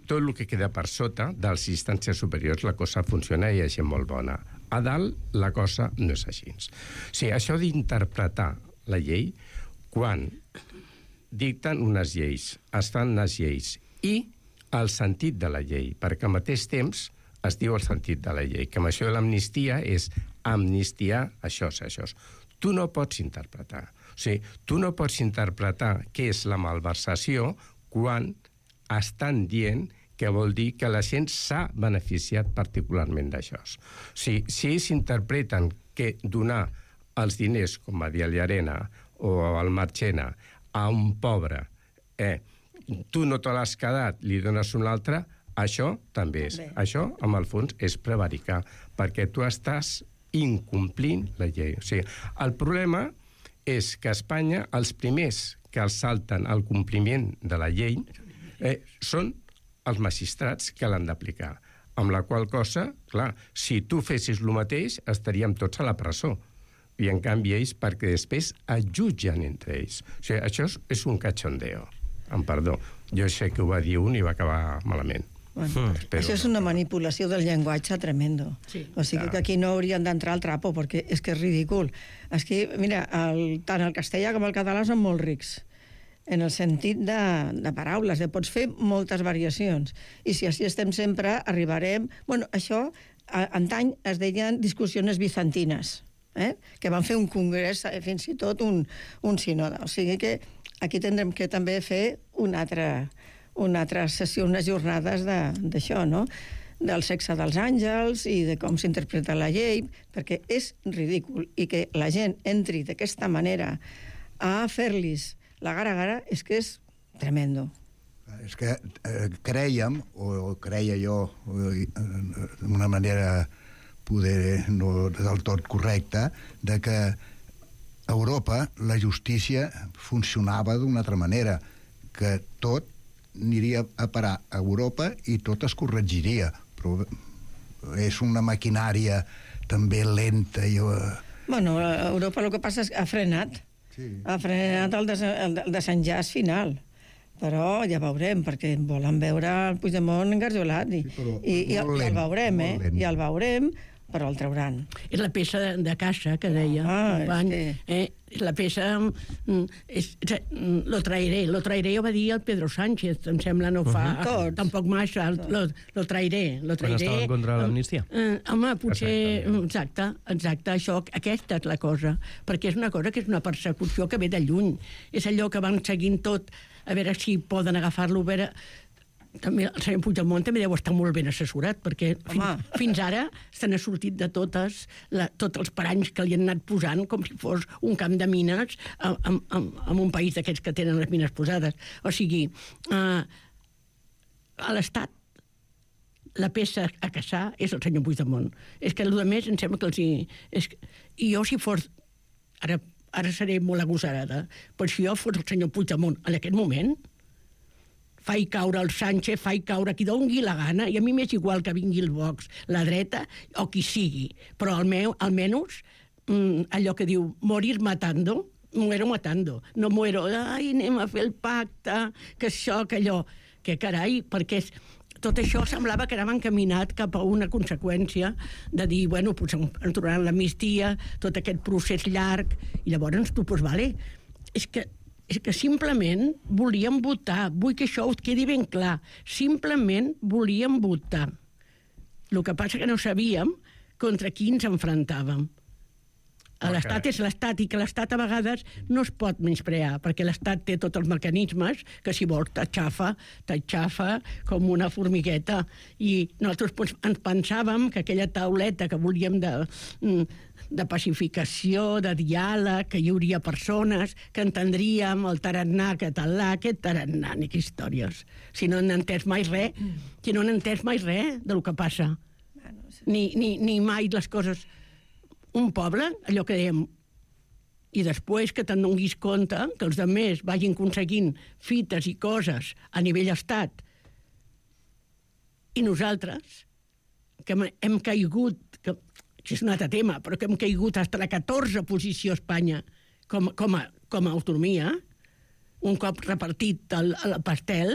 tot el que queda per sota de les instàncies superiors la cosa funciona i hi ha gent molt bona. A dalt la cosa no és així. O sigui, això d'interpretar la llei, quan dicten unes lleis, es fan unes lleis, i el sentit de la llei, perquè al mateix temps es diu el sentit de la llei, que amb això de l'amnistia és amnistiar això. Tu no pots interpretar. O sigui, tu no pots interpretar què és la malversació quan estan dient que vol dir que la gent s'ha beneficiat particularment d'això. O sigui, si ells interpreten que donar els diners, com va dir a Llarena o al Marchena, a un pobre, tu no te l'has quedat, li dones un altre, Això també és. Això, amb el fons, és prevaricar, perquè tu estàs incomplint la llei. O sigui, el problema és que a Espanya els primers que els salten el compliment de la llei són els magistrats que l'han d'aplicar. Amb la qual cosa, clar, si tu fessis el mateix, estaríem tots a la presó. I en canvi ells, perquè després es jutgen entre ells. O sigui, això és un cachondeo. Amb perdó. Jo sé que ho va dir un i va acabar malament. Bueno, això és una manipulació del llenguatge tremendo. Sí, o sigui que aquí no haurien d'entrar al trapo, perquè és que és ridícul. És que, mira, tant el castellà com el català són molt rics, en el sentit de paraules, pots fer moltes variacions. I si així estem sempre, arribarem... Bueno, això, antany es deien discussions bizantines, que van fer un congrés, fins i tot un sínode. O sigui que aquí tindrem que també fer una altra sessió, unes jornades d'això, no? Del sexe dels àngels i de com s'interpreta la llei, perquè és ridícul. I que la gent entri d'aquesta manera a fer-los la gara-gara és que és tremendo. És que crèiem, o creia jo, d'una manera poder no del tot correcta, de que a Europa la justícia funcionava d'una altra manera, que tot aniria a parar a Europa i tot es corregiria. Però és una maquinària també lenta. Bueno, a Europa el que passa és que ha frenat. Ha frenat el desenllaç final. Però ja veurem, perquè volen veure el Puigdemont engarjolat. I el veurem, i el veurem, però el trauran. És la peça de casa que deia. És la peça... Lo traeré ho va dir el Pedro Sánchez, em sembla, no fa... Tampoc massa, lo traeré. Quan estava en contra de l'amnistia. Home, potser... Exacte, això, aquesta és la cosa. Perquè és una cosa que és una persecució que ve de lluny. És allò que van seguint tot, a veure si poden agafar-lo, a veure... També el senyor Puigdemont també deu estar molt ben assessorat, perquè fins ara se n'ha sortit de tots els paranys que li han anat posant com si fos un camp de mines en un país d'aquests que tenen les mines posades. O sigui, a l'Estat la peça a caçar és el senyor Puigdemont. És que el més em sembla que els hi... I jo si fos... Ara seré molt agosarada, però si jo fos el senyor Puigdemont en aquest moment... faig caure el Sánchez, faig caure qui doni la gana, i a mi m'és igual que vingui el Vox, la dreta o qui sigui, però almenys allò que diu morir matando, muero matando, no muero, ai, anem a fer el pacte, que això, que allò, que carai, perquè tot això semblava que anava encaminat cap a una conseqüència de dir, bueno, pues ens trobaran l'amnistia, tot aquest procés llarg, i llavors tu, pues vale, és que simplement volíem votar. Vull que això us quedi ben clar. Simplement volíem votar. El que passa que no sabíem contra qui ens enfrontàvem. L'Estat és l'Estat, i que l'Estat a vegades no es pot menysprear, perquè l'Estat té tots els mecanismes que, si vols, t'aixafa com una formigueta. I nosaltres ens pensàvem que aquella tauleta que volíem de pacificació, de diàleg, que hi hauria persones que entendríem el tarannà català, aquest tarannà, ni que històries. Si no n'han entès mai res, del que passa. Ni mai les coses... Un poble, allò que dèiem, i després que te'n donis compte que els altres vagin aconseguint fites i coses a nivell estat, i nosaltres, que hem caigut, que és un altre tema, però que hem caigut fins a la 14 posició a Espanya com a autonomia, un cop repartit el pastel,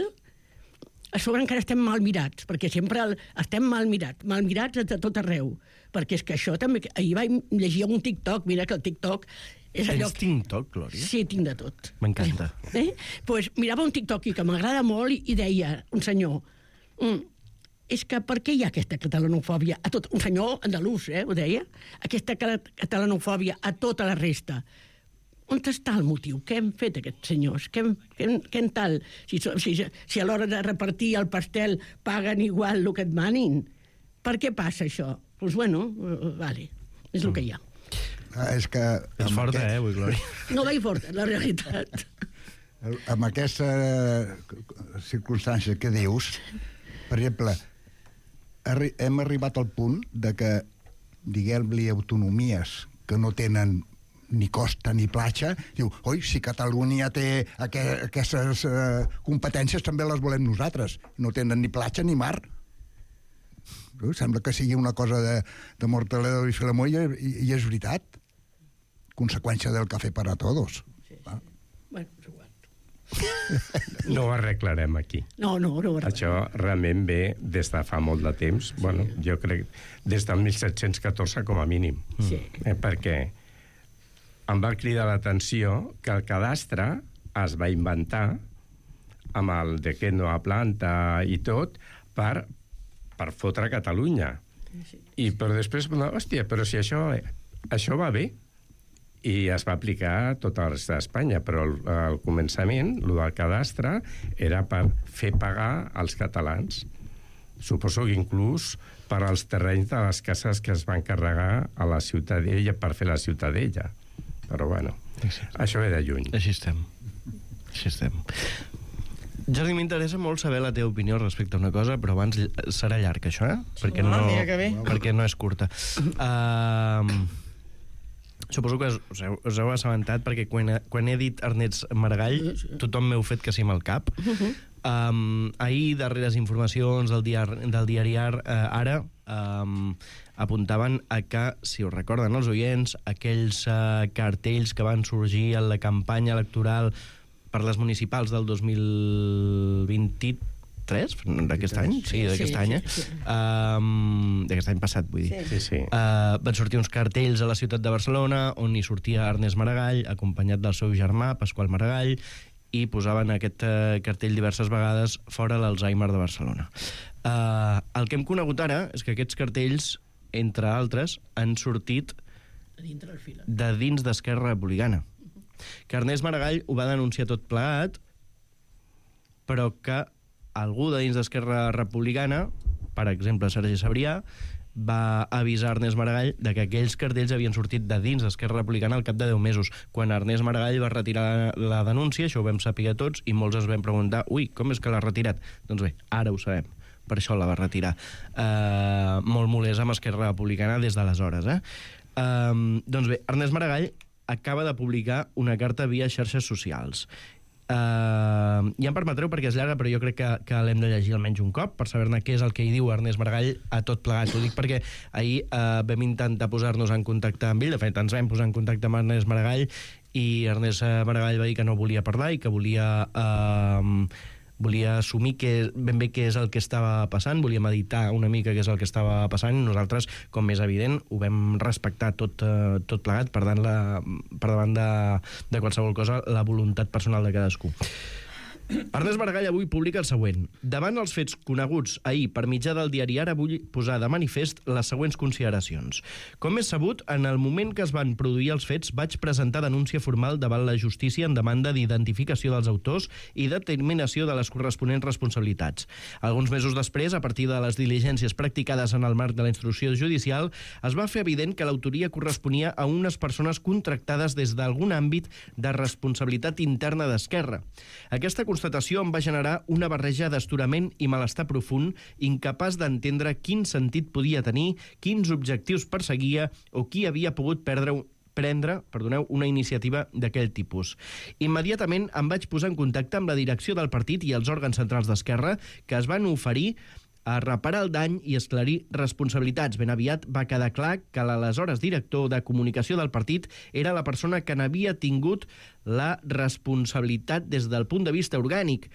a sobre encara estem mal mirats, perquè sempre estem mal mirats de tot arreu, perquè és que això també... Ahir vaig llegir un TikTok, mira que el TikTok és allò... Tens TikTok, Glòria? Sí, tinc de tot. M'encanta. Pues mirava un TikTok que m'agrada molt i deia, un senyor, és que per què hi ha aquesta catalanofòbia a tot... Un senyor andalús, ho deia, aquesta catalanofòbia a tota la resta. On està el motiu? Què han fet aquests senyors? Què en tal? Si a l'hora de repartir el pastel paguen igual el que et manin. Per què passa això? Doncs bueno, vale, és el que hi ha. És que... És forta, avui, Glòria. No vaig forta, la realitat. Amb aquesta circumstància que dius, Per exemple, hem arribat al punt de que, diguem-li, autonomies que no tenen ni costa ni platja, diu, oi, si Catalunya té aquestes competències, també les volem nosaltres. No tenen ni platja ni mar. Sembla que sigui una cosa de Mortadelo i Filemó i és veritat. Conseqüència del café para todos. Bueno, és igual. No ho arreglarem aquí. No. Això realment ve des de fa molt de temps. Bueno, jo crec des del 1714 com a mínim. Sí. Perquè em va cridar l'atenció que el cadastre es va inventar amb el de que no a planta i tot per fotre Catalunya. Però després, hòstia, però si això va bé. I es va aplicar a tot el resta d'Espanya, però al començament, el del cadastre, era per fer pagar als catalans. Suposo que inclús per als terrenys de les cases que es van carregar a la Ciutadella per fer la Ciutadella. Però bueno, això ve de lluny. Així estem. Jordi, m'interessa molt saber la teva opinió respecte a una cosa, però abans serà llarg, això, Perquè no és curta. Suposo que us heu assabentat, perquè quan he dit Ernest Maragall, tothom m'heu fet que sí amb el cap. Ahir, darreres informacions del diari Ara, apuntaven a que, si us recorden els oients, aquells cartells que van sorgir en la campanya electoral per les municipals del 2023, d'aquest any? Sí, d'aquest any, d'aquest any passat, vull dir. Sí. Van sortir uns cartells a la ciutat de Barcelona on hi sortia Ernest Maragall, acompanyat del seu germà, Pasqual Maragall, i posaven aquest cartell diverses vegades fora l'Alzheimer de Barcelona. El que hem conegut ara és que aquests cartells, entre altres, han sortit de dins d'Esquerra Republicana. Que Ernest Maragall ho va denunciar tot plegat, però que algú de dins d'Esquerra Republicana, per exemple Sergi Sabrià, va avisar Ernest Maragall de que aquells cartells havien sortit de dins d'Esquerra Republicana al cap de 10 mesos. Quan Ernest Maragall va retirar la denúncia, això ho vam saber tots, i molts es vam preguntar, com és que l'ha retirat? Doncs bé, ara ho sabem. Per això la va retirar. Molt molest amb Esquerra Republicana des d'aleshores. Doncs bé, Ernest Maragall acaba de publicar una carta via xarxes socials. Ja em permetreu perquè és llarga, però jo crec que l'hem de llegir almenys un cop per saber-ne què és el que hi diu Ernest Maragall a tot plegat. Ho dic perquè ahir vam intentar posar-nos en contacte amb ell, de fet ens vam posar en contacte amb Ernest Maragall i Ernest Maragall va dir que no volia parlar i que volia assumir ben bé què és el que estava passant, volia meditar una mica què és el que estava passant, i nosaltres, com és evident, ho vam respectar tot plegat, per davant de qualsevol cosa, la voluntat personal de cadascú. Ernest Maragall avui publica el següent. Davant els fets coneguts ahir per mitjà del diari Ara, vull posar de manifest les següents consideracions. Com és sabut, en el moment que es van produir els fets, vaig presentar denúncia formal davant la justícia en demanda d'identificació dels autors i determinació de les corresponents responsabilitats. Alguns mesos després, a partir de les diligències practicades en el marc de la instrucció judicial, es va fer evident que l'autoria corresponia a unes persones contractades des d'algun àmbit de responsabilitat interna d'Esquerra. Aquesta constatació em va generar una barreja d'astorament i malestar profund, incapaç d'entendre quin sentit podia tenir, quins objectius perseguia o qui havia pogut prendre una iniciativa d'aquell tipus. Immediatament em vaig posar en contacte amb la direcció del partit i els òrgans centrals d'Esquerra, que es van oferir a reparar el dany i esclarir responsabilitats. Ben aviat va quedar clar que l'aleshores director de comunicació del partit era la persona que n'havia tingut la responsabilitat des del punt de vista orgànic.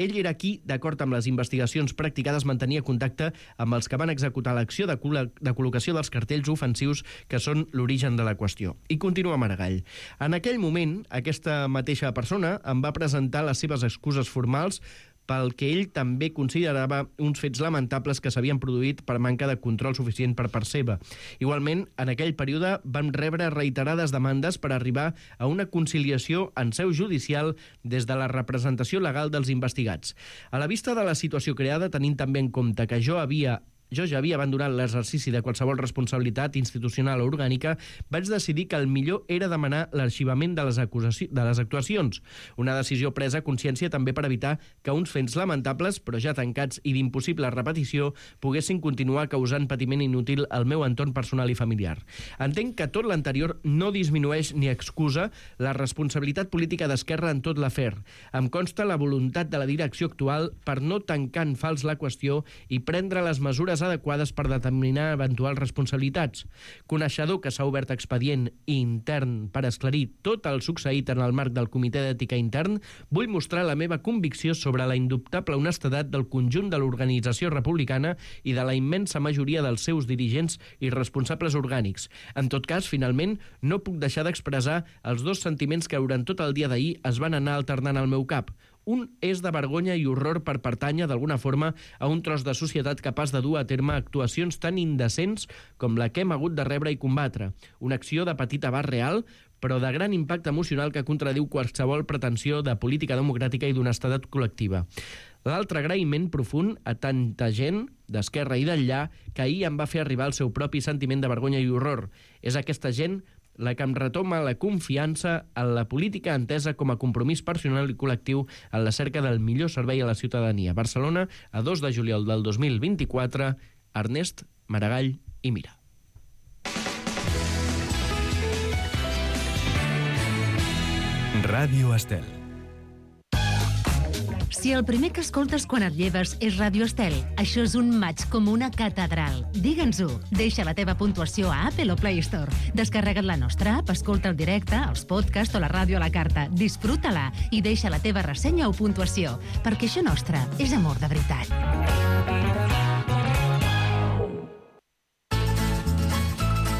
Ell era qui, d'acord amb les investigacions practicades, mantenia contacte amb els que van executar l'acció de col·locació dels cartells ofensius que són l'origen de la qüestió. I continua Maragall. En aquell moment, aquesta mateixa persona em va presentar les seves excuses formals pel que ell també considerava uns fets lamentables que s'havien produït per manca de control suficient per part seva. Igualment, en aquell període vam rebre reiterades demandes per arribar a una conciliació en seu judicial des de la representació legal dels investigats. A la vista de la situació creada, tenint també en compte que jo havia jo ja havia abandonat l'exercici de qualsevol responsabilitat institucional o orgànica, vaig decidir que el millor era demanar l'arxivament de les actuacions. Una decisió presa a consciència també per evitar que uns fets lamentables, però ja tancats i d'impossible repetició, poguessin continuar causant patiment inútil al meu entorn personal i familiar. Entenc que tot l'anterior no disminueix ni excusa la responsabilitat política d'Esquerra en tot l'afer. Em consta la voluntat de la direcció actual per no tancar en fals la qüestió i prendre les mesures adequades per determinar eventuals responsabilitats. Coneixedor que s'ha obert expedient intern per esclarir tot el succeït en el marc del Comitè d'Ètica Intern, vull mostrar la meva convicció sobre la indubtable honestedat del conjunt de l'organització republicana i de la immensa majoria dels seus dirigents i responsables orgànics. En tot cas, finalment, no puc deixar d'expressar els dos sentiments que durant tot el dia d'ahir es van anar alternant al meu cap. Un és de vergonya i horror per pertànyer d'alguna forma a un tros de societat capaç de dur a terme actuacions tan indecents com la que hem hagut de rebre i combatre. Una acció de petit abast real, però de gran impacte emocional que contradiu qualsevol pretensió de política democràtica i d'honestedat col·lectiva. L'altre agraïment profund a tanta gent d'esquerra i d'enllà que ahir em va fer arribar el seu propi sentiment de vergonya i horror. És aquesta gent la que em retoma la confiança en la política entesa com a compromís personal i col·lectiu en la cerca del millor servei a la ciutadania. Barcelona, a 2 de juliol del 2024, Ernest Maragall i Mira. Ràdio Estel. Si el primer que escoltes quan et lleves és Ràdio Estel, això és un maig com una catedral. Digue'ns-ho. Deixa la teva puntuació a Apple o Play Store. Descarrega't la nostra app, escolta el directe, els podcasts o la ràdio a la carta. Disfruta-la i deixa la teva ressenya o puntuació, perquè això nostre és amor de veritat.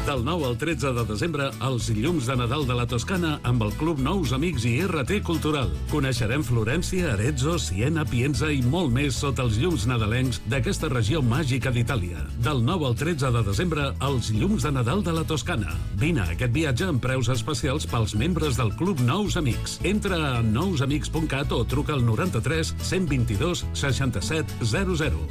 Del 9 al 13 de desembre, els llums de Nadal de la Toscana amb el Club Nous Amics i RT Cultural. Coneixerem Florència, Arezzo, Siena, Pienza i molt més sota els llums nadalencs d'aquesta regió màgica d'Itàlia. Del 9 al 13 de desembre, els llums de Nadal de la Toscana. Vine a aquest viatge amb preus especials pels membres del Club Nous Amics. Entra a nousamics.cat o truca al 93 122 67 00.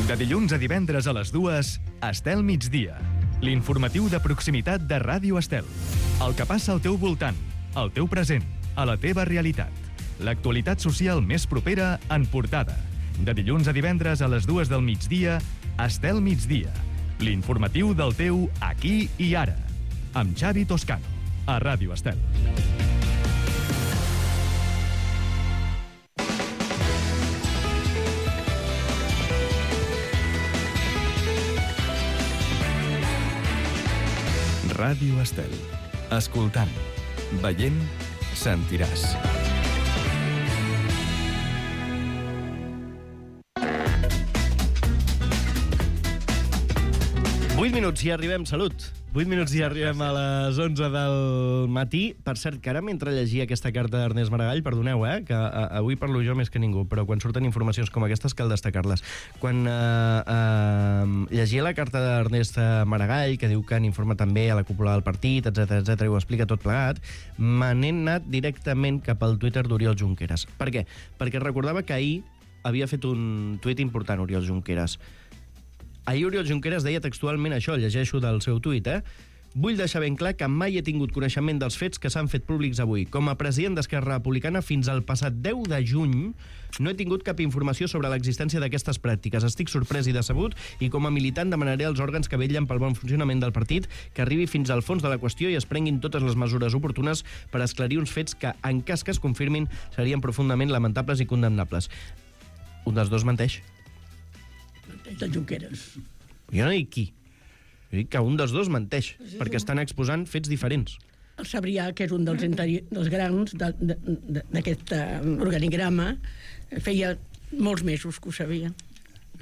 De dilluns a divendres a les 2, Estel Migdia. L'informatiu de proximitat de Ràdio Estel. El que passa al teu voltant, al teu present, a la teva realitat. L'actualitat social més propera en portada. De dilluns a divendres a les 2 del migdia, Estel Migdia. L'informatiu del teu aquí i ara. Amb Xavi Toscano, a Ràdio Estel. Ràdio Estel. Escoltant, veient, sentiràs. Vuit minuts i arribem, salut. 8 minuts i arribem a les 11 del matí. Per cert, que ara mentre llegia aquesta carta d'Ernest Maragall, perdoneu, que avui parlo jo més que ningú, però quan surten informacions com aquestes cal destacar-les. Quan llegia la carta d'Ernest Maragall, que diu que han informat també a la cúpula del partit, etc i ho explica tot plegat, me n'he anat directament cap al Twitter d'Oriol Junqueras. Per què? Perquè recordava que ahir havia fet un tuit important, Oriol Junqueras. Ahir Oriol Junqueras deia textualment això, llegeixo del seu tuit, Vull deixar ben clar que mai he tingut coneixement dels fets que s'han fet públics avui. Com a president d'Esquerra Republicana, fins al passat 10 de juny, no he tingut cap informació sobre l'existència d'aquestes pràctiques. Estic sorprès i decebut i com a militant demanaré als òrgans que vetllen pel bon funcionament del partit que arribi fins al fons de la qüestió i es prenguin totes les mesures oportunes per esclarir uns fets que, en cas que es confirmin, serien profundament lamentables i condemnables. Un dels dos menteix. Menteix el Junqueras. Jo no dic qui. Jo dic que un dels dos menteix, perquè estan exposant fets diferents. El Sabrià, que és un dels grans d'aquest organigrama, feia molts mesos que ho sabia.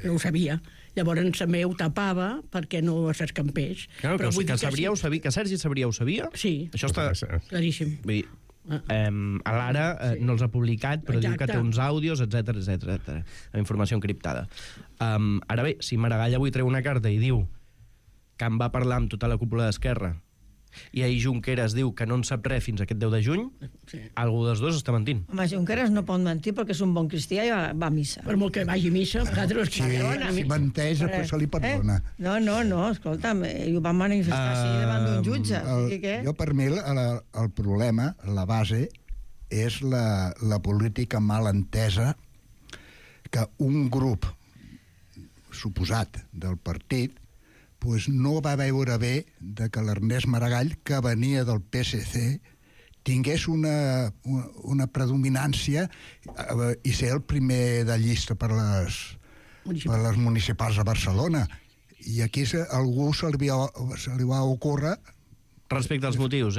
No ho sabia. Llavors també ho tapava perquè no s'escampés. Claro, que Sabrià ho sabia, que Sergi Sabrià ho sabia? Sí. Això està claríssim. Vull dir, a l'Ara no els ha publicat, però diu que té uns àudios, etc. Amb informació encriptada. Ara bé, si Maragall avui treu una carta i diu que en va parlar amb tota la cúpula d'Esquerra I ahir Junqueras diu que no en sap res fins aquest 10 de juny, algú dels dos està mentint. Home, Junqueras no pot mentir perquè és un bon cristià i va a missa. Per molt que vagi a missa, si menteix, després se li perdona. No, escolta'm, i ho van manifestar així davant d'un jutge. Jo, per mi, el problema, la base, és la política mal entesa que un grup suposat del partit no va veure bé que l'Ernest Maragall, que venia del PSC, tingués una predominància i ser el primer de llista per les municipals a Barcelona. I aquí algú se li va ocórrer... Respecte als motius,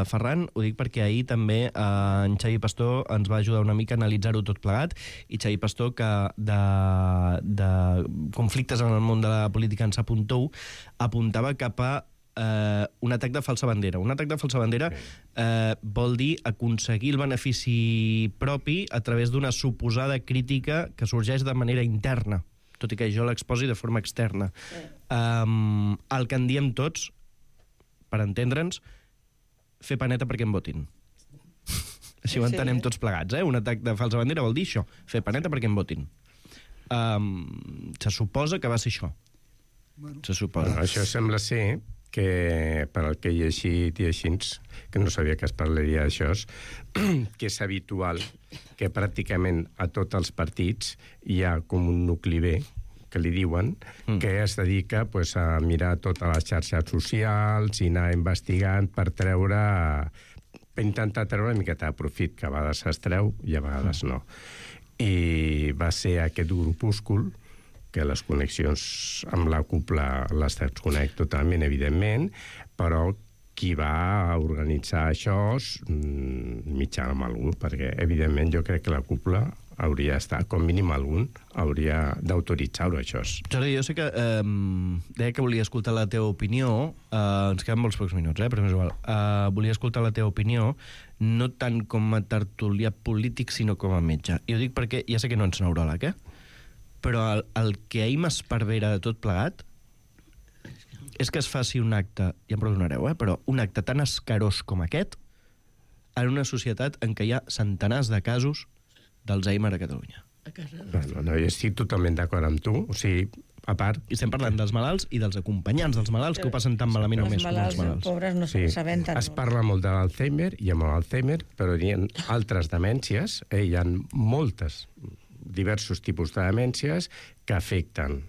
Ferran, ho dic perquè ahir també en Xavi Pastor ens va ajudar una mica a analitzar-ho tot plegat, i Xavi Pastor, que de conflictes en el món de la política en s'apuntou, apuntava cap a un atac de falsa bandera. Un atac de falsa bandera vol dir aconseguir el benefici propi a través d'una suposada crítica que sorgeix de manera interna, tot i que jo l'exposi de forma externa. El que en diem tots, per entendre'ns, fer paneta perquè em votin. Així ho entenem tots plegats, Un atac de falsa bandera vol dir això, fer paneta perquè em votin. Se suposa que va ser això. Se suposa. Bueno, això sembla ser que, per al que he llegit i així, que no sabia que es parlaria d'això, que és habitual que pràcticament a tots els partits hi ha com un nucli B, que li diuen, que es dedica a mirar totes les xarxes socials i anar investigant per intentar treure una miqueta de profit, que a vegades es treu i a vegades no. I va ser aquest grupúscul, que les connexions amb la cúpula les desconec totalment, evidentment, però qui va organitzar això mitjana amb algú, perquè evidentment jo crec que la cúpula hauria d'estar, com mínim algun, hauria d'autoritzar-ho, això. Jordi, jo sé que deia que volia escoltar la teva opinió, ens queden molts pocs minuts, però és igual. Volia escoltar la teva opinió, no tant com a tertulià polític, sinó com a metge. I ho dic perquè, ja sé que no ets neuròleg, però el que ahir m'esparvera de tot plegat és que es faci un acte, ja em perdonareu, però un acte tan escarós com aquest en una societat en què hi ha centenars de casos d'Alzheimer a Catalunya. No, jo estic totalment d'acord amb tu. O sigui, a part... I estem parlant dels malalts i dels acompanyants dels malalts que ho passen tan malament o més com els malalts. Els pobres no se n'assabenten. Es parla molt de l'Alzheimer i amb l'Alzheimer, però hi ha altres demències, hi ha diversos tipus de demències que afecten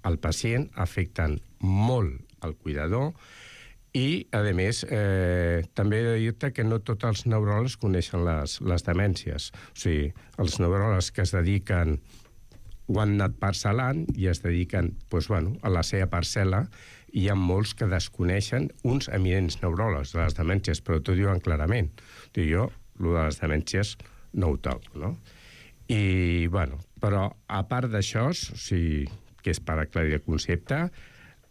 el pacient, afecten molt el cuidador, i, a més, també he de dir-te que no tots els neuròlegs coneixen les demències. O sigui, els neuròlegs que es dediquen ho han anat parcel·lant i es dediquen a la seva parcel·la, i hi ha molts que desconeixen uns eminents neuròlegs de les demències, però t'ho diuen clarament. Jo, el de les demències, no ho toco, no? I, però a part d'això, que és per aclarir el concepte,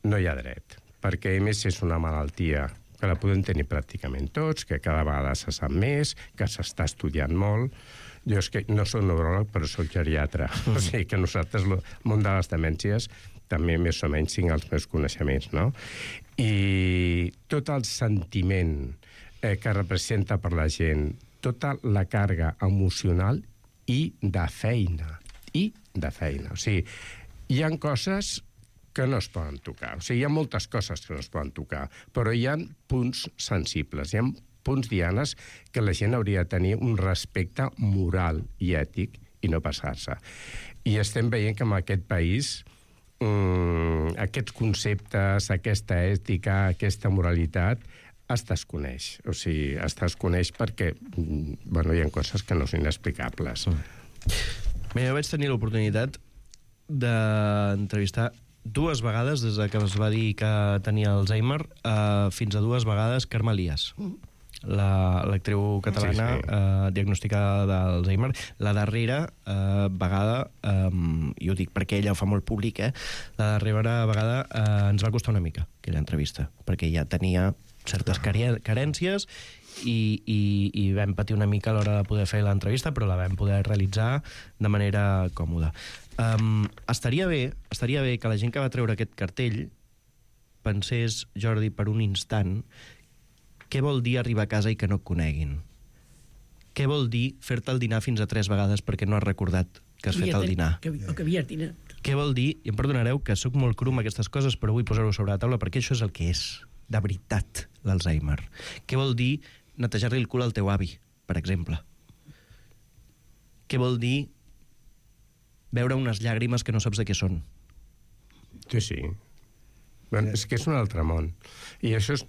no hi ha dret, perquè a més és una malaltia que la podem tenir pràcticament tots, que cada vegada se sap més, que s'està estudiant molt. Jo és que no soc neuròleg, però soc geriatre. O sigui que nosaltres, el món de les demències, també més o menys tinc els meus coneixements, no? I tot el sentiment que representa per la gent, tota la càrrega emocional i de feina. O sigui, hi ha coses que no es poden tocar. O sigui, hi ha moltes coses que no es poden tocar, però hi ha punts sensibles, hi ha punts dianes que la gent hauria de tenir un respecte moral i ètic i no passar-se. I estem veient que en aquest país aquests conceptes, aquesta ètica, aquesta moralitat es desconeix. O sigui, es desconeix perquè hi ha coses que no són inexplicables. Bé, jo vaig tenir l'oportunitat d'entrevistar 2 vegades, des que es va dir que tenia Alzheimer, fins a 2 vegades Carme Elias, l'actriu catalana diagnosticada d'Alzheimer. La darrera vegada, i ho dic perquè ella ho fa molt públic, la darrera vegada ens va costar una mica aquella entrevista, perquè ja tenia certes carències i vam patir una mica a l'hora de poder fer l'entrevista, però la vam poder realitzar de manera còmoda. Estaria bé que la gent que va treure aquest cartell pensés, Jordi, per un instant, Què vol dir arribar a casa i que no et coneguin? Què vol dir fer-te el dinar fins a 3 vegades perquè no has recordat que has fet el dinar? O que havies dinat. Què vol dir, i em perdonareu que sóc molt cru amb aquestes coses, però vull posar-ho sobre la taula perquè això és el que és, de veritat, l'Alzheimer. Què vol dir netejar-li el cul al teu avi, per exemple? Què vol dir veure unes llàgrimes que no saps de què són? Sí. Bueno, és que és un altre món. I això és,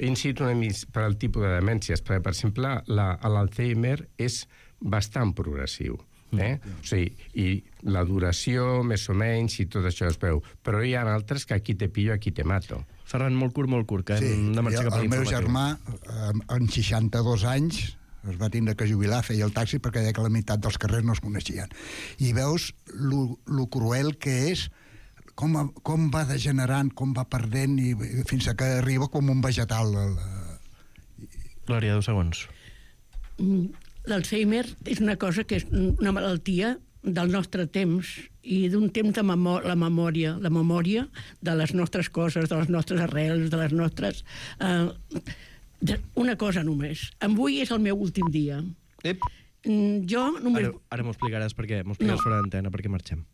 incito una mica per al tipus de demències, perquè, per exemple, l'Alzheimer és bastant progressiu. O sigui, i la duració, més o menys, i tot això es veu. Però hi ha altres que aquí te pillo, aquí te mato. Ferran, molt curt, que hem de marxar cap a l'informatiu. El meu germà, en 62 anys, es va tindre que jubilar, feia el taxi perquè deia que la meitat dels carrers no es coneixien. I veus lo cruel que és, com va degenerant, com va perdent, i fins que arriba com un vegetal. Glòria, 2 segons. L'Alzheimer és una cosa que és una malaltia del nostre temps i d'un temps de la memòria de les nostres coses, de les nostres arrels, de les nostres... Una cosa només. Avui és el meu últim dia. Jo només... Ara m'ho explicaràs fora d'antena, perquè marxem.